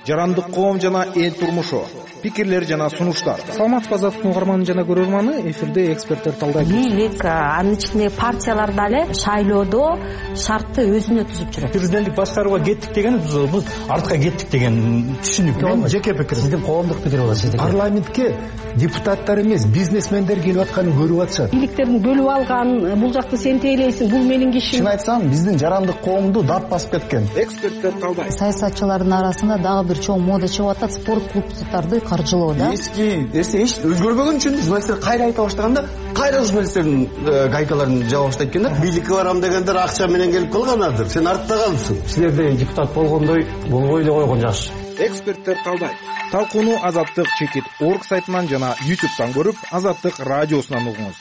жарандык коом жана эл турмушу, пикирлер жана сунуштар. Салмат Фазатовдун угарманы жана көрөрманы эфирде эксперттер талдайт. Бийлик, анын ичинде партиялар дагы шайлоодо шартты өзүнө түзүп жүрөт. Президенттик башкарууга кеттик деген биз артка кеттик деген түшүнүк. Мен жеке пикирим. Сиздин коомдук пикир болот. Сиздики парламентке депутаттар эмес, бизнесмендер келип атканын көрүп атышат. Бийликтердин бөлүп алган, бул жакты сен тейлейсиң, бул менин кишим. Чын айтсам, биздин жарандык коомду дат басып кеткен. Эксперттер талдайт. Саясатчылардын арасында дагы бир чоң мода чыгып атат, спорт клубдарды каржылоо да. Эски эсе эч өзгөрбөгөн үчүн журналисттер кайра айта баштаганда, кайра журналисттердин гайкаларын жаба баштайт экен да. Бийликке барам дегендер акча менен келип калганадыр. Сен артта калыпсың. Силерде депутат болгондой болбой эле койгон жакшы. Эксперттер талдайт. Талкууну Азаттык чекит орг сайтынан жана ютубтан көрүп, Азаттык радиосунан угуңуз.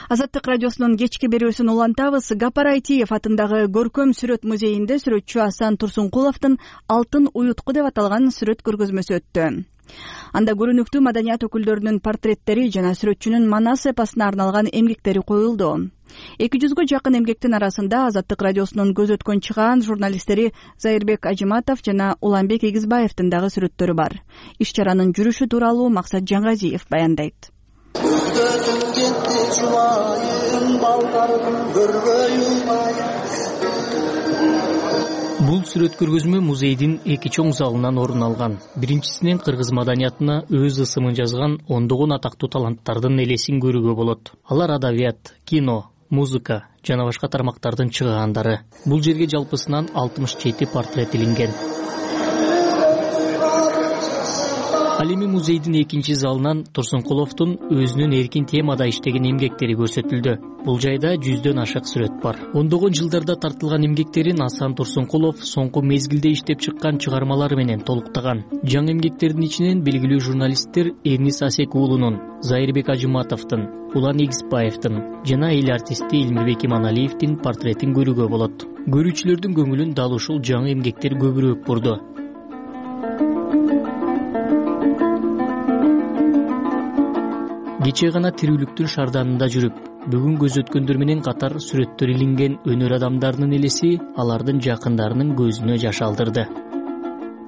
Азаттык радиосунун кечки берүүсүн улантабыз. Гапар Айтиев атындагы Көркөм сүрөт музейинде сүрөтчү Асан Турсункуловдун Алтын уютку деп аталган сүрөт көргөзмөсү өттү. Анда көрүнүктүү маданият өкүлдөрүнүн портреттери жана сүрөтчүнүн Манас эпосуна арналган эмгектери коюлду. эки жүзгө жакын эмгектин арасында Азаттык радиосунун көз өткөн чыгаан журналисттери Зайырбек Ажыматов жана Уланбек Эгизбаевдин дагы сүрөттөрү бар. Иш чаранын жүрүшү тууралуу Максат Жаңгазиев баяндайт. Бул сүрөт көргөзмө музейдин эки чоң залынан орун алган. Биринчисинен кыргыз маданиятына өз ысымын жазган ондогон атактуу таланттардын элесин көрүүгө болот. Алар адабият, кино, музыка жана башка тармактардын чыгаандары. Бул жерге жалпысынан алтымыш жети портрет илинген. Ал эми музейдин экинчи залынан Турсункуловдун өзүнүн эркин темада иштеген эмгектери көрсөтүлдү. Бул жайда жүздөн ашык сүрөт бар. Ондогон жылдарда тартылган эмгектерин Асан Турсункулов соңку мезгилде иштеп чыккан чыгармалары менен толуктаган. Жаңы эмгектердин ичинен белгилүү журналисттер Эрнис Асек уулунун, Зайырбек Ажыматовдун, Улан Эгизбаевдин жана эл артисти Элмирбек Иманалиевдин портретин көрүүгө болот. Көрүүчүлөрдүн көңүлүн дал ушул жаңы эмгектер көбүрөөк бурду. Кечээ гана тирүүлүктүн шарданында жүрүп, бүгүн көз өткөндөр менен катар сүрөттөр илинген өнөр адамдарынын элеси алардын жакындарынын көзүнө жаш алдырды.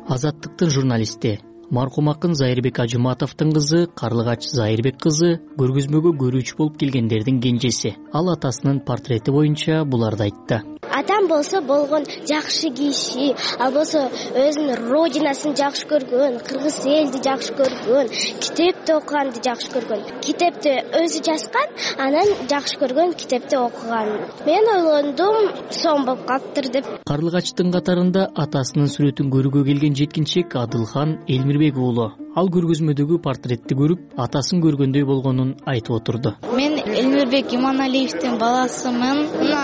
Азаттыктын журналисти, маркум акын Зайырбек Ажыматовдун кызы Карлыгач Зайырбек кызы көргөзмөгө көрүүчү болуп келгендердин кенжеси. Ал атасынын портрети боюнча буларды айтты. Атам болсо болгон жакшы киши, ал болсо өзүнүн родинасын жакшы көргөн, кыргыз элди жакшы көргөн, китепти окуганды жакшы көргөн. Китепти өзү жазган, анан жакшы көргөн китепти окуган. Мен ойлондум, сом болуп калыптыр деп. Карлыгачтын катарында атасынын сүрөтүн көрүүгө келген жеткинчек Адылхан Элмирбек уулу. Ал көргөзмөдөгү портретти көрүп, атасын көргөндөй болгонун айтып отурду. Мен Элмирбек Иманалиевдин баласымын. Мына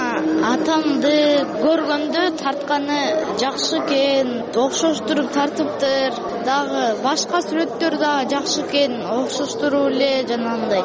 атамды көргөндө тартканы жакшы экен, окшоштуруп тартыптыр. Дагы башка сүрөттөр дагы жакшы экен, окшоштуруп эле жанагындай.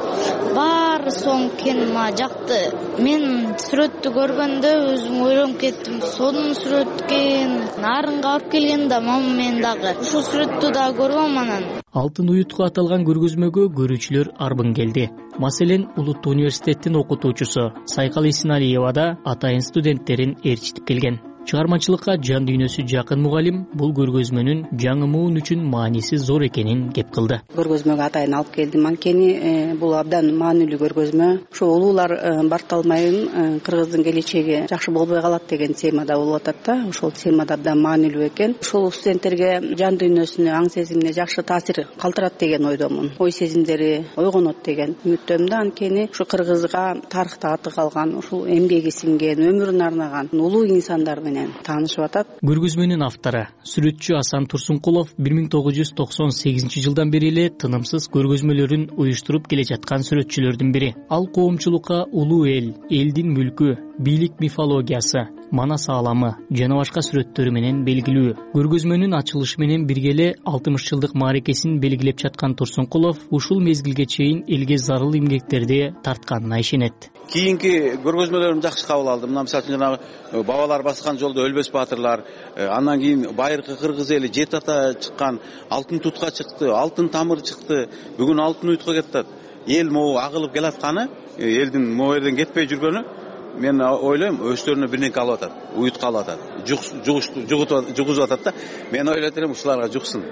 Баары соң экен, мага жакты. Мен сүрөттү көргөндө өзүм ойлонуп кеттим, сонун сүрөт экен. Нарынга алып келген да мама мен дагы ушул сүрөттү дагы көргөм анан. Алтын уютка аталган көргөзмөгө көрүүчүлөр арбын келди. Маселен, Улуттуу университеттин окутуучусу Сайкал Исиналиева да атайын студенттерин ээрчитип келген. Чыгармачылыкка жан дүйнөсү жакын мугалим бул көргөзмөнүн жаңы муун үчүн мааниси зор экенин кеп кылды. Көргөзмөгө атайын алып келдим. Анткени бул абдан маанилүү көргөзмө. Ошо улуулар Барталмайын кыргыздын келечеги жакшы болбой калат деген темада болуп атат да. Ошол темада абдан маанилүү экен. Ошол студенттерге жан дүйнөсүнө, аң сезимине жакшы таасир калтырат деген ойдомун. Ой сезимдери ойгонот деген үмүттөмүн да. Анткени ушу кыргызга тарыхта аты калган, ушул эмгеги сиңген, өмүрүн арнаган улуу инсандар таанышып атат. Көргөзмөнүн автору, сүрөтчү Асан Турсункулов бир миң тогуз жүз токсон сегизинчи жылдан бери эле тынымсыз көргөзмөлөрүн уюштуруп келе жаткан сүрөтчүлөрдүн бири. Ал коомчулукка улуу эл, элдин мүлкү, бийлик мифологиясы, Манас ааламы жана башка сүрөттөрү менен белгилүү. Көргөзмөнүн ачылышы менен бирге эле алтымыш жылдык мааракесин белгилеп жаткан Турсункулов ушул мезгилге чейин элге зарыл эмгектерди тартканына ишенет. Кийинки көргөзмөлөрүм жакшы кабыл алдым. Мына мисалы үчүн жанагы бабалар баскан жолдо өлбөс баатырлар, андан кийин байыркы кыргыз эли Жет ата чыккан, алтын тутка чыкты, алтын тамыр чыкты. Бүгүн алтын уютка кетет. Эл могу агылып келатканы, элдин могу жерден кетпей жүргөнү, мен ойлойм өздөрүнө бир нерсе алып атат, уютка алып атат, жугузуп атат да. Мен ойлойт элем ушуларга жуксун.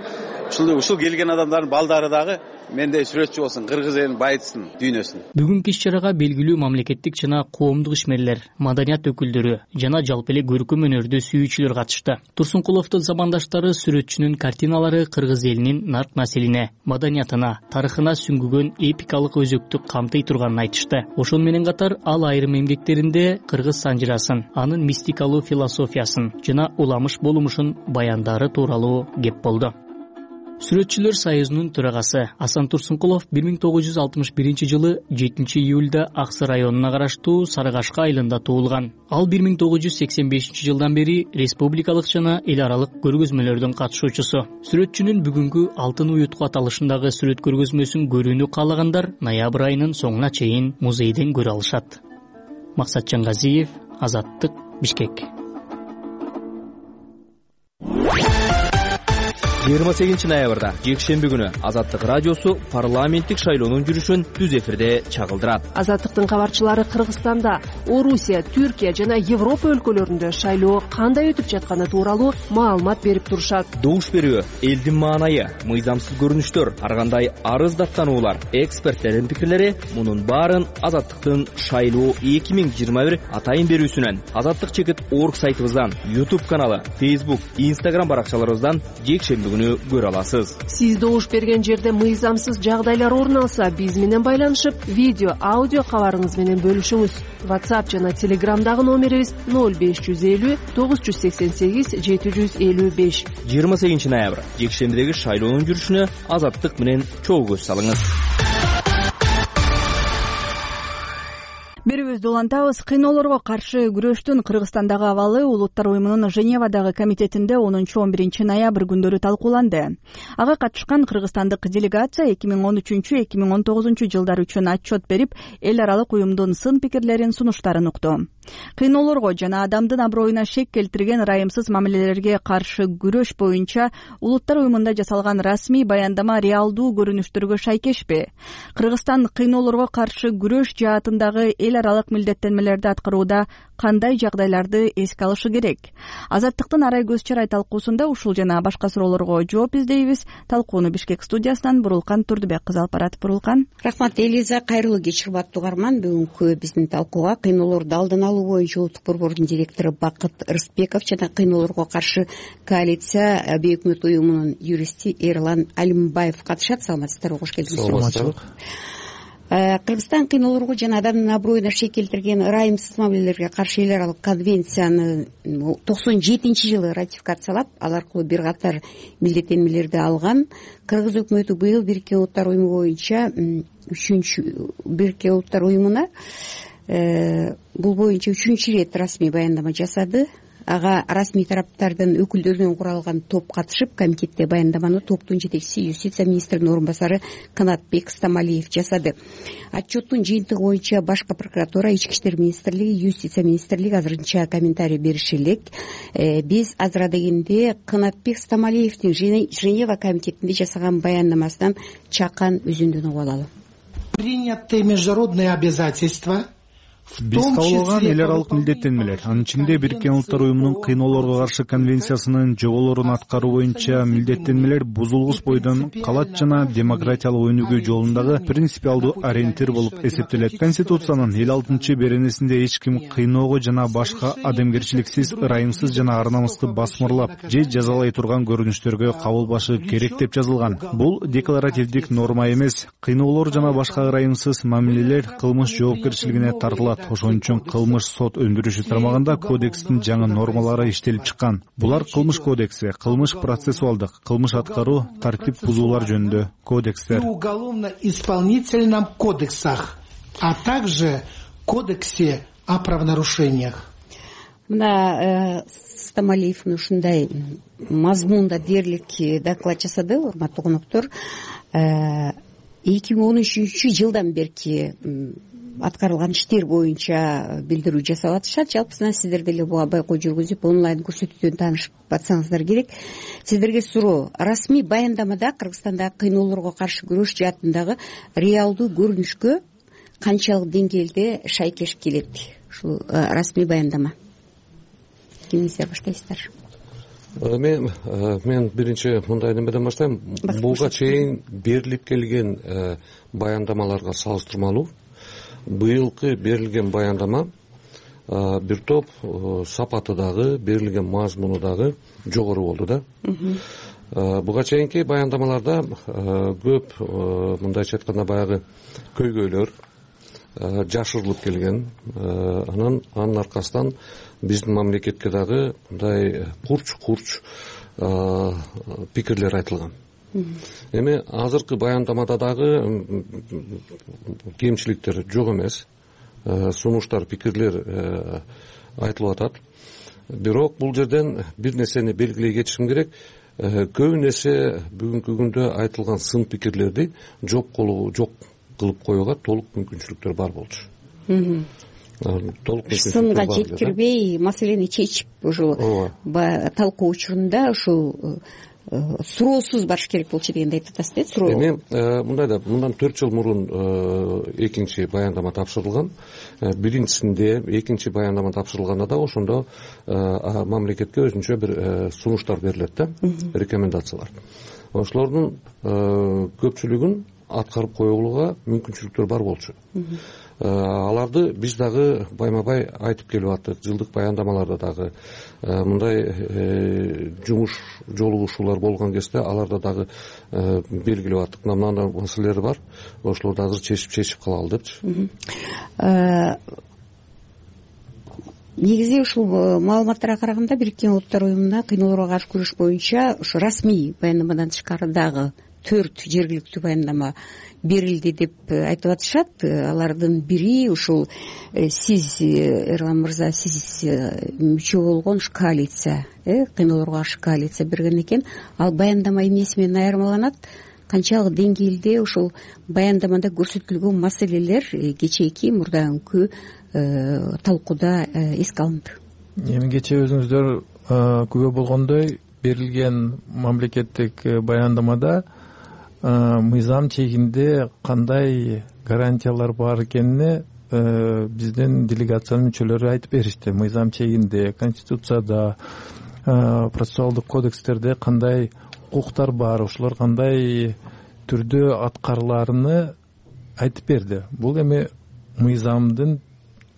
Ушул ушул келген адамдардын балдары дагы мендей сүрөтчү болсун, кыргыз элин байытсын, дүйнөсүн. Бүгүнкү иш чарага белгилүү мамлекеттик жана коомдук ишмерлер, маданият өкүлдөрү жана жалпы эле көркөм өнөрдү сүйүүчүлөр катышты. Турсункуловдун замандаштары сүрөтчүнүн картиналары кыргыз элинин нарк населине, маданиятына, тарыхына сүңгүгөн эпикалык өзөктү камтый турганын айтышты. Ошону менен катар ал айрым эмгектеринде кыргыз санжырасын, анын мистикалуу философиясын жана уламыш болумушун баяндары тууралуу кеп болду. Сүрөтчүлөр союзунун төрагасы Асан Турсункулов бир миң тогуз жүз алтымыш биринчи жылы жетинчи июлда Аксы районуна караштуу Сарыгашка айылында туулган. Ал бир миң тогуз жүз сексен бешинчи жылдан бери республикалык жана эл аралык көргөзмөлөрдүн катышуучусу. Сүрөтчүнүн бүгүнкү Алтын уютку аталышындагы сүрөт көргөзмөсүн көрүүнү каалагандар ноябрь айынын соңуна чейин музейден көрө алышат. Максат Жаңгазиев, Азаттык, Бишкек. жыйырма сегизинчи ноябрда жекшемби күнү Азаттык радиосу парламенттик шайлоонун жүрүшүн түз эфирде чагылдырат. Азаттыктын кабарчылары Кыргызстанда, Орусия, Түркия жана Европа өлкөлөрүндө шайлоо кандай өтүп жатканы тууралуу маалымат берип турушат. Добуш берүү, элдин маанайы, мыйзамсыз көрүнүштөр, ар кандай арыз даттануулар, эксперттердин пикирлери мунун баарын Азаттыктын шайлоо эки миң жыйырма бир атайын берүүсүнөн, Азаттык чекит орг сайтыбыздан, YouTube каналы, Facebook, Instagram баракчаларыбыздан жекшемби күнү көрө аласыз. Сиз добуш берген жерде мыйзамсыз жагдайлар орун алса, биз менен байланышып, видео, аудио кабарыңыз менен бөлүшүңүз. WhatsApp жана Telegramдагы номерибиз ноль беш жүз элүү тогуз жүз сексен сегиз жети жүз элүү беш. жыйырма сегизинчи ноябрь жекшембидеги шайлоонун жүрүшүнө Азаттык менен чогуу көз салыңыз. Берүүбүздү улантабыз. Кыйноолорго каршы күрөштүн Кыргызстандагы абалы Улуттар уюмунун Женевадагы комитетинде онунчу он биринчи ноябрь күндөрү талкууланды. Ага катышкан кыргызстандык делегация эки миң он үчүнчү эки миң он тогузунчу жылдар үчүн отчет берип, эл аралык уюмдун сын пикирлерин, сунуштарын укту. Кыйноолорго жана адамдын аброюна шек келтирген ырайымсыз мамилелерге каршы күрөш боюнча Улуттар уюмунда жасалган расмий баяндама реалдуу көрүнүштөргө шайкешпи? Кыргызстан кыйноолорго каршы күрөш жаатындагы эл аралык милдеттенмелерди аткарууда кандай жагдайларды эске алышы керек? Азаттыктын арай көз чарай талкуусунда ушул жана башка суроолорго жооп издейбиз. Талкууну Бишкек студиясынан Бурулкан Турдубек кызы алып барат. Бурулкан. Рахмат Элиза, кайрылуу кеч урматтуу угарман. Бүгүнкү биздин талкууга кыйноолорду алдын алуу боюнча улуттук борбордун директору Бакыт Рыспеков жана кыйноолорго каршы коалиция бейөкмөт уюмунун юристи Эрлан Алимбаев катышат. Саламатсыздарбы, кош келиңиз. Кыргызстан кыйноолорго жана адамдын аброюна шек келтирген ырайымсыз мамилелерге каршы эл аралык конвенцияны токсон жетинчи жылы ратификациялап, ал аркылуу бир катар милдеттенмелерди алган. Кыргыз өкмөтү быйыл Бириккен Улуттар уюму боюнча үчүнчү Бириккен Улуттар уюмуна бул боюнча үчүнчү ирет расмий баяндама жасады. Ага расмий тараптардын өкүлдөрүнөн куралган топ катышып, комитетте баяндаманы топтун жетекчиси юстиция министринин орун басары Канатбек Стамалиев жасады. Отчеттун жыйынтыгы боюнча башкы прокуратура, ички иштер министрлиги, юстиция министрлиги азырынча комментарий бериши элек. Биз азыр дегенде Канатбек Стамалиевдин Женева комитетинде жасаган баяндамасынан чакан үзүндүн угуп алалы. Принятые международные обязательства, биз кабыл эл аралык милдеттенмелер, анын ичинде Бириккен Улуттар уюмунун кыйноолорго каршы конвенциясынын жоболорун аткаруу боюнча милдеттенмелер бузулгус бойдон калат жана демократиялык өнүгүү жолундагы принципиалдуу ориентир болуп эсептелет. Конституциянын элүү алтынчы беренесинде эч ким кыйноого жана башка адамгерчиликсиз, ырайымсыз жана ар намысты басмырлап же жазалай турган көрүнүштөргө кабылбашы керек деп жазылган. Бул декларативдик норма эмес. Кыйноолор жана башка ырайымсыз мамилелер кылмыш жоопкерчилигине тартылат. Ошон үчүн кылмыш сот өндүрүшү тармагында кодекстин жаңы нормалары иштелип чыккан. Булар кылмыш кодекси, кылмыш процессуалдык, кылмыш аткаруу, тартип бузуулар жөнүндө кодекстер. В уголовно-исполнительном кодексах, а также кодексе о правонарушениях. Мына Стамалиевдин ушундай мазмунда дээрлик доклад жасады, урматтуу коноктор. эки миң он үчүнчү жылдан берки аткарылган иштер боюнча билдирүү жасап атышат. Жалпысынан сиздер деле буга байкоо жүргүзүп, онлайн көрсөтүүдөн таанышып атсаңыздар керек. Сиздерге суроо: расмий баяндамада Кыргызстандагы кыйноолорго каршы күрөш жаатындагы реалдуу көрүнүшкө канчалык деңгээлде шайкеш келет ушул расмий баяндама? Кимиңиздер баштайсыздар? Мен мен биринчи мындай немеден баштайм. Буга чейин берилип келген баяндамаларга салыштырмалуу быйылкы берилген баяндама бир топ сапаты дагы, берилген мазмуну дагы жогору болду да. Буга чейинки баяндамаларда көп мындайча айтканда баягы көйгөйлөр жашырылып келген. Анан анын аркасынан биздин мамлекетке дагы мындай курч-курч пикирлер айтылган. Эми азыркы баяндамада дагы кемчиликтер жок эмес. Сунуштар, пикирлер айтылып атат. Бирок бул жерден бир нерсени белгилей кетишим керек. Көп нерсе бүгүнкү күндө айтылган сын пикирлерди жок жок кылып коюуга толук мүмкүнчүлүктөр бар болчу. Сынга жеткирбей маселени чечип ушул талкуу учурунда ушул суроосуз барыш керек болчу дегенди айтып атасыз да суроо эми мындай да мындан төрт жыл мурун экинчи баяндама тапшырылган. Биринчисинде экинчи баяндама тапшырылганда да ошондо мамлекетке өзүнчө бир сунуштар берилет да, рекомендациялар. Ошолордун көпчүлүгүн аткарып коюлууга мүмкүнчүлүктөр бар болчу. Аларды биз дагы байма бай айтып келип аттык. Жылдык баяндамаларда дагы мындай жумуш жолугушуулар болгон кезде аларда дагы белгилеп аттык. Мындай маселелер бар, ошолорду азыр чечип чечип калалы депчи. Негизи ушул маалыматтарга караганда Бириккен Улуттар уюмуна кыйноолорго каршы күрөш боюнча ушу расмий баяндамадан тышкары дагы төрт жергиликтүү баяндама берилди деп айтып атышат. Алардын бири ушул сиз, Эрлан мырза, сиз мүчө болгон ушу коалиция, кыйноолорго каршы коалиция берген экен. Ал баяндама эмнеси менен айырмаланат? Канчалык деңгээлде ушул баяндамада көрсөтүлгөн маселелер кечээки мурдагы талкууда эске алынды? Эми кечээ өзүңүздөр күбө болгондой берилген мамлекеттик баяндамада мыйзам чегинде кандай гарантиялар бар экенине биздин делегациянын мүчөлөрү айтып беришти. Мыйзам чегинде, конституцияда, процессуалдык кодекстерде кандай укуктар бар, ошолор кандай түрдө аткарыларыны айтып берди. Бул эми мыйзамдын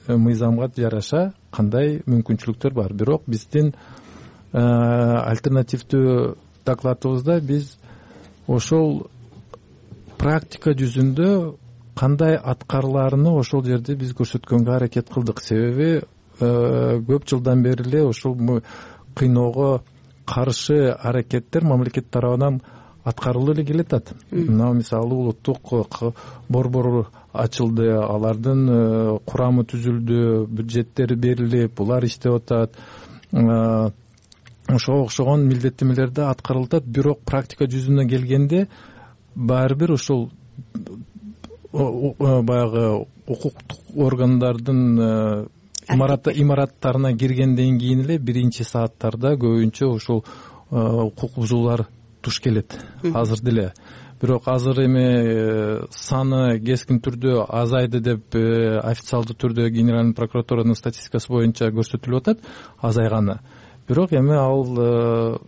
мыйзамга жараша кандай мүмкүнчүлүктөр бар. Бирок биздин альтернативдүү докладыбызда биз ошол практика жүзүндө кандай аткарыларыны ошол жерде биз көрсөткөнгө аракет кылдык. Себеби көп жылдан бери эле ошол кыйноого каршы аракеттер мамлекет тарабынан аткарылып эле келатат. Мына мисалы улуттук борбор ачылды, алардын курамы түзүлдү, бюджеттери берилип, булар иштеп атат. Ошого окшогон милдеттенмелерди аткарылат. Бирок практика жүзүнө келгенде баары бир ошол баягы укуктук органдардын имараттарына киргенден кийин эле биринчи сааттарда көбүнчө ушул укук бузуулар туш келет азыр деле. Бирок азыр эми саны кескин түрдө азайды деп официалдуу түрдө Генеральный прокуратуранын статистикасы боюнча көрсөтүлүп атат, азайганы. Бирок эми ал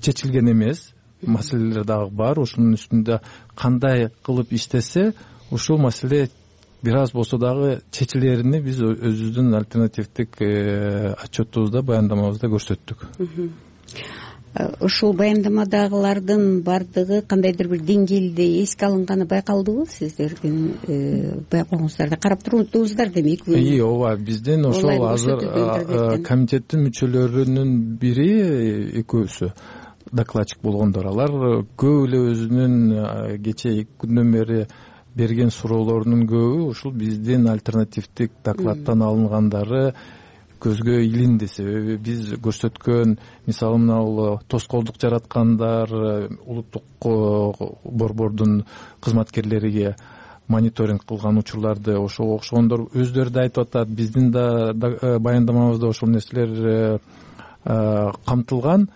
чечилген эмес, маселелер дагы бар. Ушунун үстүндө кандай кылып иштесе, ушул маселе бир аз болсо дагы чечилерин биз өзүбүздүн альтернативдик отчетубузда, баяндамабызда көрсөттүк. Ушул баяндамадагылардын бардыгы кандайдыр бир деңгээлде эске алынганы байкалдыбы сиздердин байкооңуздарда? Карап туруңуздар демек. Ооба, биздин ошол азыр комитеттин мүчөлөрүнүн бири экөөсү докладчик болгондор. Алар көп эле өзүнүн кечээ эки күндөн бери берген суроолорунун көбү ушул биздин альтернативдик докладтан алынгандары көзгө илинди. Себеби биз көрсөткөн, мисалы мына тоскоолдук жараткандар, улуттук борбордун кызматкерлериге мониторинг кылган учурларды ошого окшогондор өздөрү да айтып атат. Биздин да баяндамабызда ошол нерселер камтылган.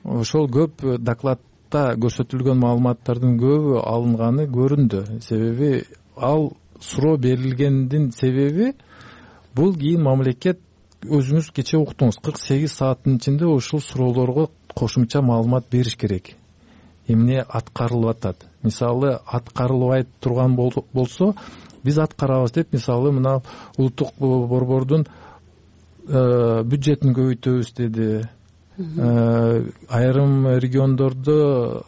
Ошол көп докладта көрсөтүлгөн маалыматтардын көбү алынганы көрүндү. Себеби ал суроо берилгендин себеби бул кийин мамлекет өзүңүз кечээ уктуңуз, кырк сегиз сааттын ичинде ушул суроолорго кошумча маалымат бериш керек. Эмне аткарылып атат? Мисалы аткарылбай турган болсо, биз аткарабыз деп, мисалы мына улуттук борбордун бюджетин көбөйтөбүз деди. Айрым региондордо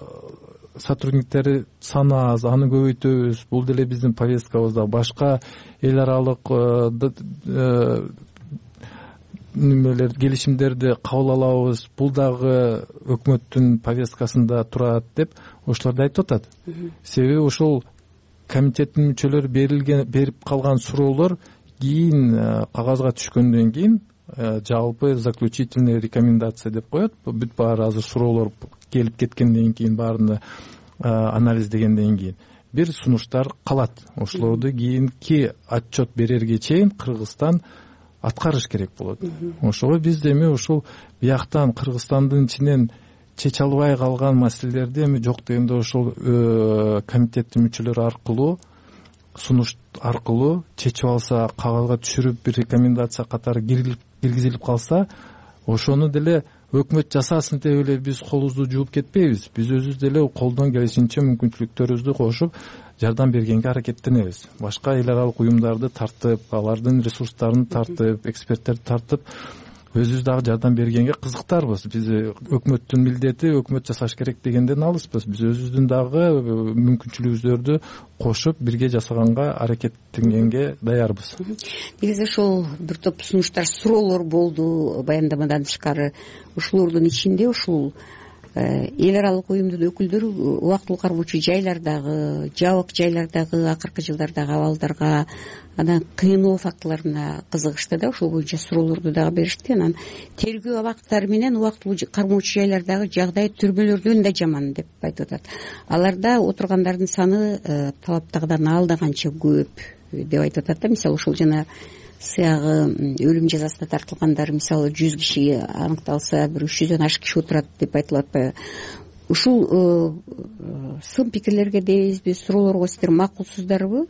сотрудниктери саны аз, аны көбөйтөбүз. Бул деле биздин повесткабызда. Башка эл аралык немелер, келишимдерди кабыл алабыз. Бул дагы өкмөттүн повесткасында турат деп ошолорду айтып атат. Себеби ошол комитеттин мүчөлөрү берилген берип калган суроолор кийин кагазга түшкөндөн кийин жалпы заключительный рекомендация деп коет. Бүт баары азыр суроолор келип кеткенден кийин, баарыны анализдегенден кийин бир сунуштар калат. Ошолорду кийинки отчет берерге чейин Кыргызстан аткарыш керек болот. Ошого биз эми ушул бияктан Кыргызстандын ичинен чече албай калган маселелерди эми жок дегенде ошол комитеттин мүчөлөрү аркылуу сунуш аркылуу чечип алса, кагазга түшүрүп бир рекомендация катары киргизилип калса, ошону деле өкмөт жасасын деп эле биз колубузду жууп кетпейбиз. Биз өзүбүз деле колдон келишинче мүмкүнчүлүктөрүбүздү кошуп жардам бергенге аракеттенебиз. Башка эл аралык уюмдарды тартып, алардын ресурстарын тартып, эксперттерди тартып өзүбүз дагы жардам бергенге кызыктарбыз. Биз өкмөттүн милдети өкмөт жасаш керек дегенден алыспыз. Биз өзүбүздүн дагы мүмкүнчүлүгүбүздөрдү кошуп бирге жасаганга аракеттенгенге даярбыз. Негизи ошол бир топ сунуштар, суроолор болду баяндамадан тышкары. Ушулордун ичинде ушул эл аралык уюмдун өкүлдөрү убактылуу кармоочу жайлардагы, жабык жайлардагы акыркы жылдардагы абалдарга, анан кыйноо фактыларына кызыгышты да, ошол боюнча суроолорду дагы беришти. Анан тергөө абактары менен убактылуу кармоочу жайлардагы жагдай түрмөлөрдөн да жаман деп айтып атат. Аларда отургандардын саны талаптагыдан алда канча көп деп айтып атат да. Мисалы ошол жана сыягы өлүм жазасына тартылгандар, мисалы жүз киши аныкталса, бир үч жүздөн ашык киши отурат деп айтылып атпайбы? Ушул сын пикирлерге дейбизби, суроолорго сиздер макулсуздарбы?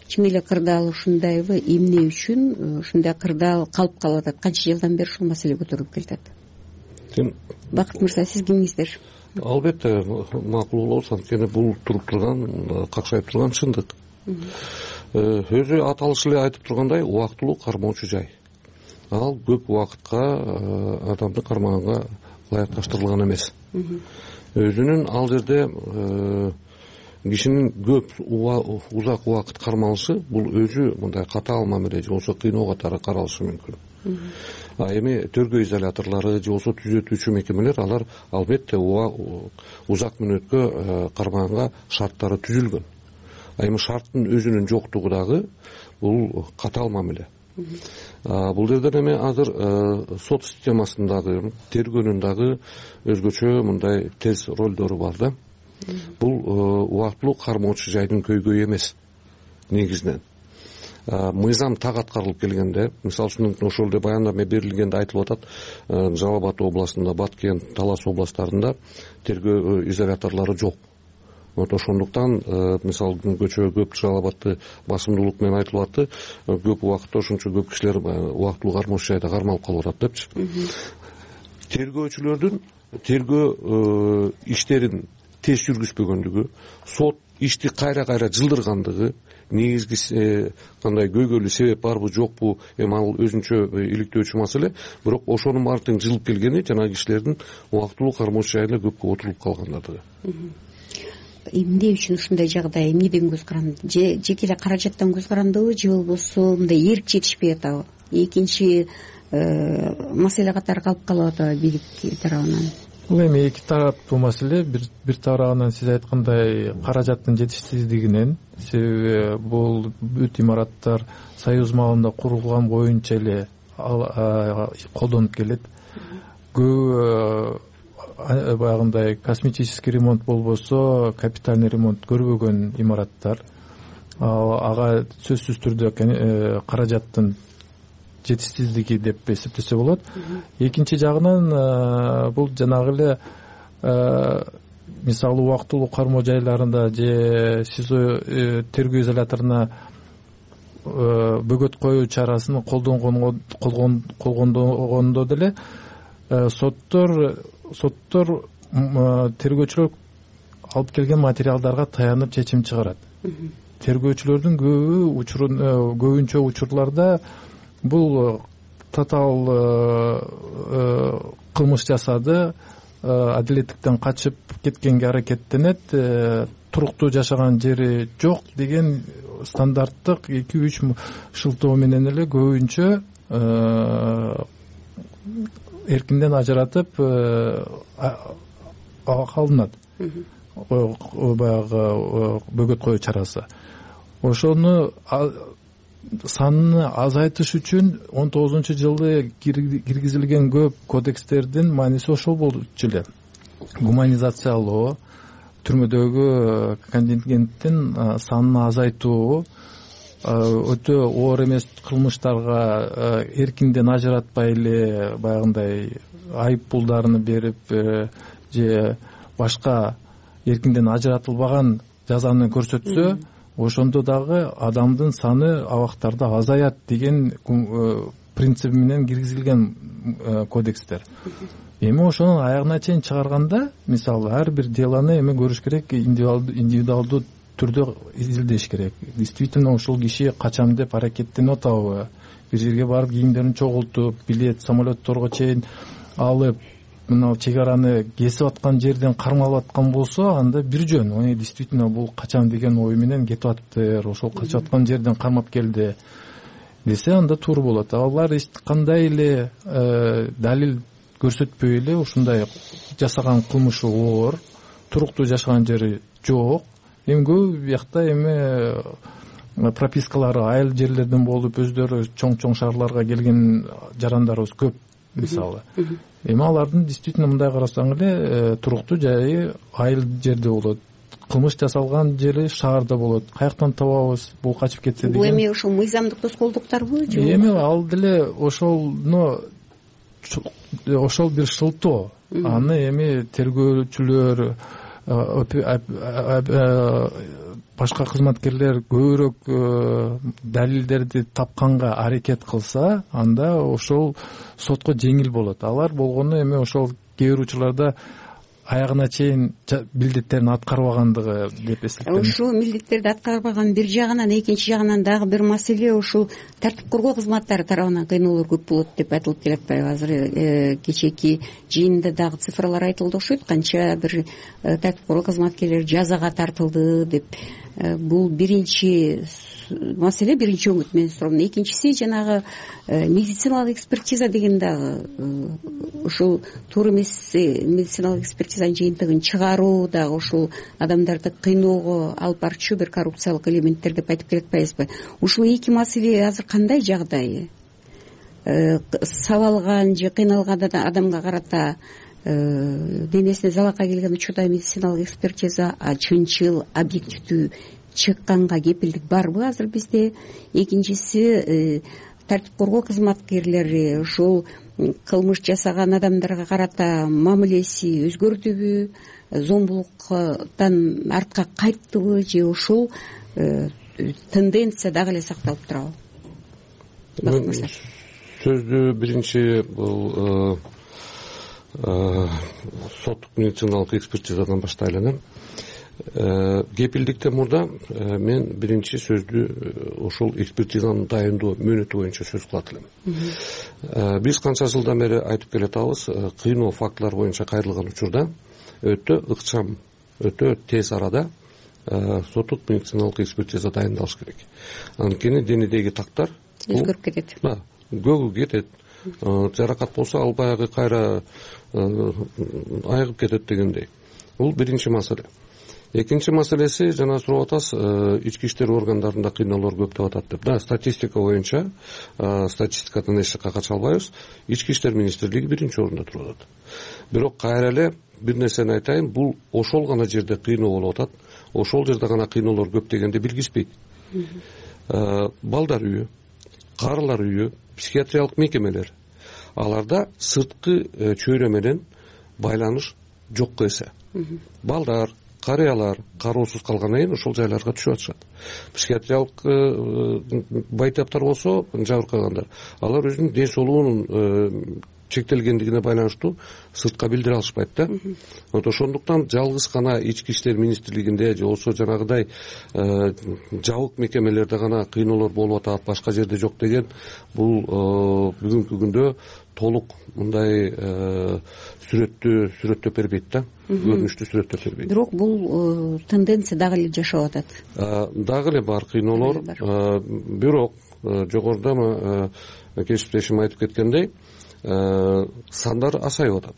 Чын эле кырдаал ушундайбы? Эмне үчүн ушундай кырдаал калып калып атат? Канча жылдан бери ушул маселе көтөрүлүп келатат? Бакыт мырза, сиз кимиңиздер? Албетте макул болобуз, анткени бул туруп турган, какшайып турган чындык. Өзү аталышы эле айтып тургандай, убактылуу кармоочу жай. Ал көп убакытка адамды кармаганга ылайыкташтырылган эмес. Өзүнүн ал жерде кишинин көп узак убакыт кармалышы бул өзү мындай катаал мамиле же болбосо кыйноо катары каралышы мүмкүн. А эми тергөө изоляторлору же болбосо түзөтүүчү мекемелер алар албетте узак мөөнөткө кармаганга шарттары түзүлгөн. А эми шарттын өзүнүн жоктугу дагы бул катаал мамиле. Бул жерден эми азыр сот системасындагы, тергөөнүн дагы өзгөчө мындай тез ролдору бар да. Бул убактылуу кармоочу жайдын көйгөйү эмес негизинен. Мыйзам так аткарылып келгенде, мисалы үчүн ошол эле баяндама берилгенде айтылып атат, Жалал Абад областында, Баткен, Талас областарында тергөө изоляторлору жок. Вот ошондуктан мисалы көчө көп Жалал Абадты басымдуулук менен айтылып атты, көп убакытта ошончо көп кишилер убактылуу кармоочу жайда кармалып калып атат депчи. Тергөөчүлөрдүн тергөө иштерин тез жүргүзбөгөндүгү, сот ишти кайра-кайра жылдыргандыгы, негизги кандай көйгөйлүү себеп барбы жокпу, эми ал өзүнчө иликтөөчү маселе, бирок ошонун баары тең жылып келгени жана кишилердин убактылуу кармоочу жайында көпкө отуруп калгандыгы. Эмне үчүн ушундай жагдай, эмнеден көз каранды? Же жеке эле каражаттан көз карандыбы, же болбосо мындай эрк жетишпей атабы? Экинчи маселе катары калып калып атабы бийлик тарабынан? Бул эми эки тараптуу маселе. Бир бир тарабынан сиз айткандай каражаттын жетишсиздигинен, себеби бул бүт имараттар Союз маалында курулган боюнча эле колдонуп келет. Көп баягындай косметический ремонт болбосо капитальный ремонт көрбөгөн имараттар. Ага сөзсүз түрдө каражаттын жетишсиздиги деп эсептесе болот. Экинчи жагынан бул жанагы эле мисалы убактылуу кармоо жайларында же СИЗО тергөө изоляторуна бөгөт коюу чарасын колгондогондо деле соттор соттор тергөөчүлөр алып келген материалдарга таянып чечим чыгарат. Тергөөчүлөрдүн көбү учурун көбүнчө учурларда бул татаал кылмыш жасады, адилеттиктен качып кеткенге аракеттенет, туруктуу жашаган жери жок деген стандарттык эки үч шылтоо менен эле көбүнчө эркинден ажыратып калынат баягы бөгөт коюу чарасы. Ошону санын азайтыш үчүн он тогузунчу жылы киргизилген көп кодекстердин мааниси ошол болчу эле. Гуманизациялоо, түрмөдөгү контингенттин санын азайтуу, өтө оор эмес кылмыштарга эркинден ажыратпай эле баягындай айып пулдарын берип же башка эркинден ажыратылбаган жазаны көрсөтсө ошондо дагы адамдын саны абактарда азаят деген принциби менен киргизилген кодекстер. Эми ошонун аягына чейин чыгарганда мисалы ар бир делону эми көрүш керек, индивидуалдуу түрдө изилдеш керек. Действительно ошол киши качам деп аракеттенип атабы, бир жерге барып кийимдерин чогултуп, билет самолетторго чейин алып, мына чек араны кесип аткан жерден кармалып аткан болсо, анда бир жөн. Ой, действительно бул качам деген ой менен кетип атыптыр, ошол качып аткан жерден кармап келди десе, анда туура болот. Алар эч кандай эле далил көрсөтпөй эле ушундай жасаган кылмышы оор, туруктуу жашаган жери жок. Эми көп биякта эми пропискалары айыл жерлерден болуп, өздөрү чоң-чоң шаарларга келген жарандарыбыз көп мисалы. Эми алардын действительно мындай карасаң эле туруктуу жайы айыл жерде болот. Кылмыш жасалган жери шаарда болот. Каяктан табабыз бул качып кетсе деген. Бул эми ошол мыйзамдык тоскоолдуктарбы же? Эми ал деле ошолну ошол бир шылтоо. Аны эми тергөөчүлөр, башка кызматкерлер көбүрөөк далилдерди тапканга аракет кылса, анда ошол сотко жеңил болот. Алар болгону эми ошол кээ бир учурларда аягына чейин милдеттерин аткарбагандыгы деп эсептейм. Ушул милдеттерди аткарбаган бир жагынан, экинчи жагынан дагы бир маселе ушул тартип коргоо кызматтары тарабынан кыйноолор көп болот деп айтылып келатпайбы? Азыр кечээки жыйында дагы цифралар айтылды окшойт, канча бир тартип коргоо кызматкерлери жазага тартылды деп. Бул биринчи маселе, биринчи өңүт менин суроом. Экинчиси жанагы медициналык экспертиза деген дагы ушул туура эмес медициналык экспертизанын жыйынтыгын чыгаруу дагы ушул адамдарды кыйноого алып барчу бир коррупциялык элементтер деп айтып келатпайбызбы? Ушул эки маселе азыр кандай жагдайы? Сабалган же кыйналган адамга карата денесине залалга келген учурда медициналык экспертиза чынчыл, объективдүү чыкканга кепилдик барбы азыр бизде? Экинчиси, тартип коргоо кызматкерлери ушул кылмыш жасаган адамдарга карата мамилеси өзгөрдүбү, зомбулуктан артка кайттыбы же ушул тенденция дагы эле сакталып турабы? Сөздү биринчи бул соттук медициналык экспертизадан баштайлы. Кепилдикте мурда мен биринчи сөздү ошол экспертизанын дайындоо мөөнөтү боюнча сөз кылат элем. Биз канча жылдан бери айтып келатабыз, кыйноо фактылар боюнча кайрылган учурда өтө ыкчам, өтө тез арада соттук медициналык экспертиза дайындалыш керек. Анткени денедеги тактар өзгөрүп кетет. Көгү кетет. Жаракат болсо ал баягы кайра айыгып кетет дегендей. Бул биринчи маселе. Экинчи маселеси, жана сурап атасыз, ички иштер органдарында кыйноолор көп деп атат деп. Да, статистика боюнча, статистикадан эч жакка кача албайбыз. Ички иштер министрлиги биринчи орунда туруп атат. Бирок кайра эле бир нерсени айтайын, бул ошол гана жерде кыйноо болуп атат. Ошол жерде гана кыйноолор көп дегенди билгизбейт. Балдар үйү, карылар үйү, психиатриялык мекемелер, аларда сырткы чөйрө менен байланыш жокко эсе. Балдар, карыялар кароосуз калгандан кийин ошол жайларга түшүп атышат. Психиатриялык байтаптар болсо, жабыркагандар, алар өзүнүн ден соолугунун чектелгендигине байланыштуу сыртка билдире алышпайт да. Ошондуктан жалгыз гана ички иштер министрлигинде же болбосо жанагыдай жабык мекемелерде гана кыйноолор болуп атат, башка жерде жок деген бул бүгүнкү күндө толук мындай сүрөттү сүрөттөп бербейт да, көрүнүштү сүрөттөп бербейт. Бирок бул тенденция дагы эле жашап атат. Дагы эле бар кыйноолор, бирок жогоруда кесиптешим айтып кеткендей, сандар азайып атат.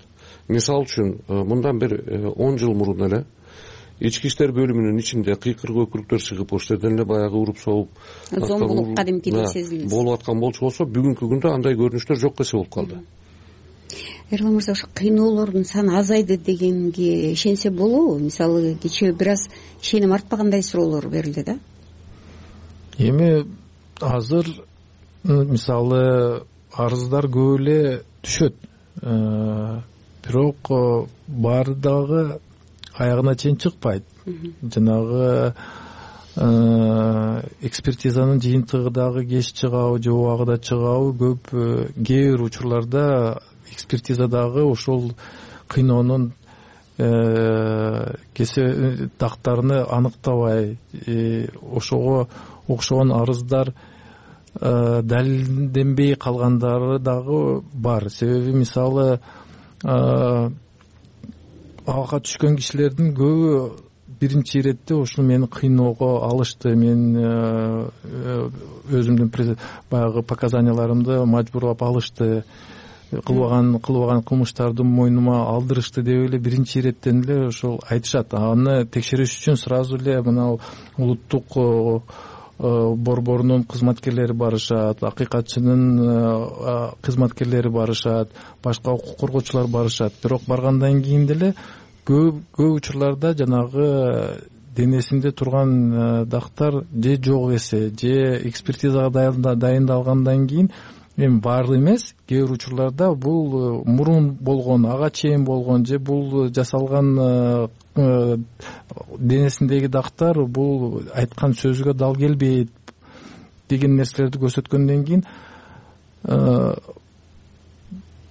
Мисалы үчүн, мындан бир он жыл мурун эле ички иштер бөлүмүнүн ичинде кыйкыр көпүрүктөр чыгып, ошол жерден эле баягы уруп согуп, зомбулук кадимкидей сезилет болуп аткан болчу болсо, бүгүнкү күндө андай көрүнүштөр жок эсе болуп калды. Эрлан мырза, ошо кыйноолордун саны азайды дегенге ишенсе болобу? Мисалы, кечээ бир аз ишеним артпагандай суроолор берилди да. Эми азыр мисалы арыздар көп эле түшөт. бирок баары дагы аягына чейин чыкпайт. Жанагы экспертизанын жыйынтыгы дагы кеч чыгабы же убагында чыгабы көп кээ бир учурларда экспертиза дагы ошол кыйноонун кесе дактарыны аныктабай, ошого окшогон арыздар далилденбей калгандары дагы бар. Себеби мисалы ага түшкөн кишилердин көбү биринчи иретте ушул мени кыйноого алышты, мен өзүмдүн баягы показанияларымды мажбурлап алышты, кылбаган кылбаган кылмыштарды мойнума алдырышты деп эле биринчи иреттен эле ошол айтышат. Аны текшериш үчүн сразу эле мына улуттук борборунун кызматкерлери барышат, акыйкатчынын кызматкерлери барышат, башка укук коргоочулар барышат. Бирок баргандан кийин деле көп көп учурларда жанагы денесинде турган дактар же жок эсе, же экспертизага дайындалгандан кийин эми баары эмес, кээ бир учурларда бул мурун болгон, ага чейин болгон, же бул жасалган денесиндеги дактар бул айткан сөзгө дал келбейт деген нерселерди көрсөткөндөн кийин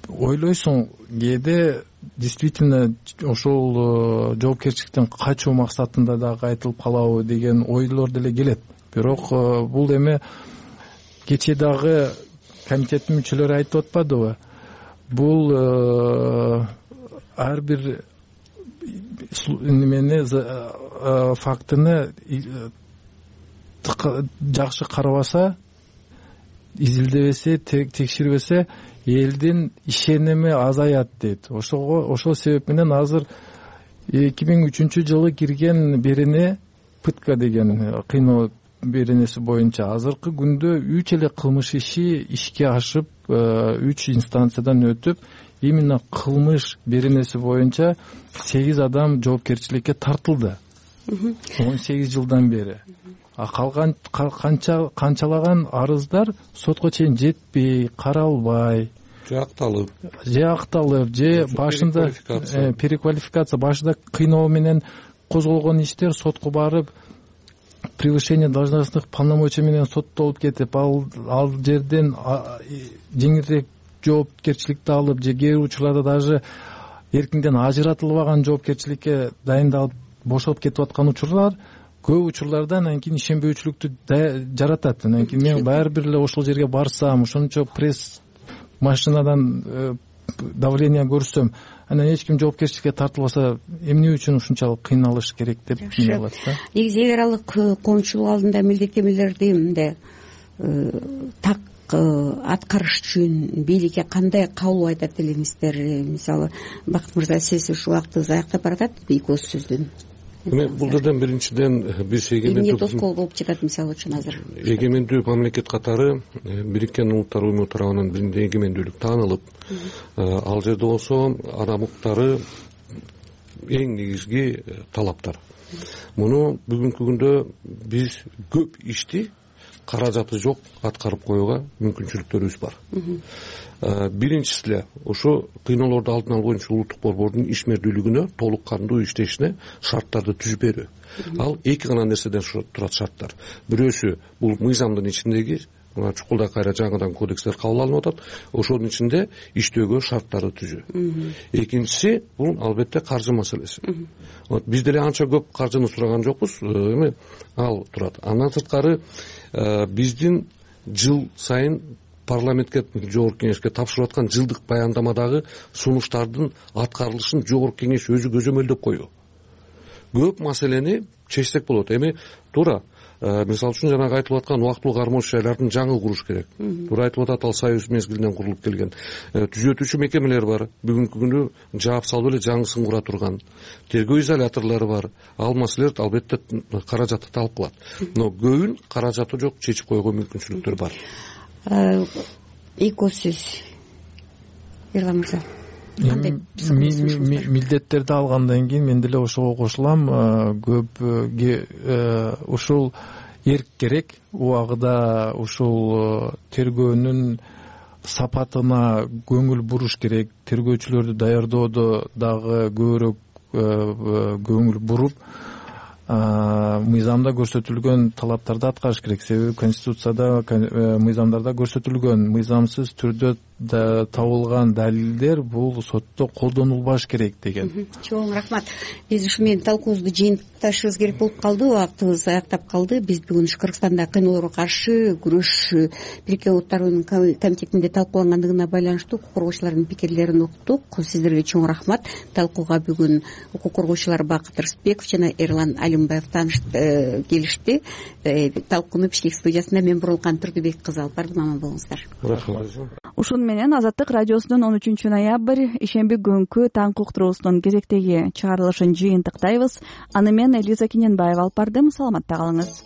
ойлойсуң, кээде действительно ошол жоопкерчиликтен качуу максатында дагы айтылып калабы деген ойлор деле келет. Бирок бул эми кечээ дагы комитеттин мүчөлөрү айтып атпадыбы, бул ар бир немени фактыны жакшы карабаса, изилдебесе, текшербесе элдин ишеними азаят дейт. Ошого ошол себеп менен азыр эки миң үчүнчү жылы кирген берене, пытка деген кыйноо беренеси боюнча азыркы күндө үч эле кылмыш иши ишке ашып, үч инстанциядан өтүп, именно кылмыш беренеси боюнча сегиз адам жоопкерчиликке тартылды он сегиз жылдан бери. А калган канча канчалаган арыздар сотко чейин жетпей, каралбай, же акталып, же акталып, же башында переквалификация, башында кыйноо менен козголгон иштер сотко барып, превышение должностных полномочий менен соттолуп кетип, ал ал жерден жеңилирээк жоопкерчиликти алып, же кээ бир учурларда даже эркинден ажыратылбаган жоопкерчиликке дайындалып бошоп кетип аткан учурлар көп учурларда анан кийин ишенбөөчүлүктү жаратат. Анан кийин мен баары бир эле ошол жерге барсам, ошончо пресс машинадан давление көрсөм, анан эч ким жоопкерчиликке тартылбаса, эмне үчүн ушунчалык кыйналыш керек деп ойлоп атат. Негизи эгер ал коомчулук алдында милдеттенмелерди мындай так аткарыш үчүн бийликке кандай кабыл айтат элеңиздер? Мисалы, Бакыт мырза, сиз ушул убакыт аякта баратат эки ооз сөздөн. Эми бул жерден биринчиден биз эмне тоскоол болуп жатат мисалы үчүн азыр? Эгемендүү мамлекет катары Бириккен Улуттар уюму тарабынан биринде эгемендүүлүк таанылып, ал жерде болсо адам укуктары эң негизги талаптар. Муну бүгүнкү күндө биз көп ишти каражаты жок аткарып коюуга мүмкүнчүлүктөрүбүз бар. Биринчиси эле ошо кыйноолорду алдын алуу боюнча улуттук борбордун ишмердүүлүгүнө толук кандуу иштешине шарттарды түзүп берүү. Ал эки гана нерседен турат шарттар. Бирөөсү бул мыйзамдын ичиндеги чукулда кайра жаңыдан кодекстер кабыл алынып атат, ошонун ичинде иштөөгө шарттарды түзүү. Экинчиси бул албетте каржы маселеси. Биз деле анча көп каржыны сураган жокпуз, эми ал турат. Андан сырткары биздин жыл сайын парламентке, жогорку кеңешке тапшырып аткан жылдык баяндамадагы сунуштардын аткарылышын жогорку кеңеш өзү көзөмөлдөп койгон. Көп маселени чечсек болот. Эми туура, мисалы үчүн жанагы айтылып аткан убактылуу кармоочу жайлардын жаңы куруш керек. Туура айтылып атат, ал союз мезгилинен курулуп келген. Түзөтүүчү мекемелер бар. Бүгүнкү күндө жаап салып эле жаңысын кура турган. Тергөө изоляторлору бар. Ал маселелер албетте каражатты талап кылат. Но көбүн каражаты жок, чечип койгонго мүмкүнчүлүктөр бар. Эки ооз сөз. Ерлан мырза. Милдеттерди алгандан кийин мен деле ошого кошулам. Көп ушул эрк керек. Убагында ушул тергөөнүн сапатына көңүл буруш керек, тергөөчүлөрдү даярдоодо дагы көбүрөөк көңүл буруп мыйзамда көрсөтүлгөн талаптарды аткарыш керек. Себеби конституцияда, мыйзамдарда көрсөтүлгөн мыйзамсыз түрдө табылган далилдер бул сотто колдонулбаш керек деген. Чоң рахмат. Биз ушу менен талкуубузду жыйынтыкташыбыз керек болуп калды. Убактыбыз аяктап калды. Биз бүгүн Кыргызстанда кыйноолорго каршы күрөш Бириккен Улуттар Уюмунун комитетинде талкуулангандыгына байланыштуу укук коргоочулардын пикирлерин уктук. Сиздерге чоң рахмат. Талкууга бүгүн укук коргоочулар Бакыт Рысбеков жана Эрлан Алимбаев келишти. Талкууну Бишкек студиясында мен Бурулкан Турдубек кызы алып бардым. Аман болуңуздар. Рахмат. Ушун менен Азаттык радиосунун он үчүнчү ноябрь ишемби күнкү таңкы уктуруусунун кезектеги чыгарылышын жыйынтыктайбыз. Аны мен Элиза Кененбаева алып бардым. Саламатта калыңыз.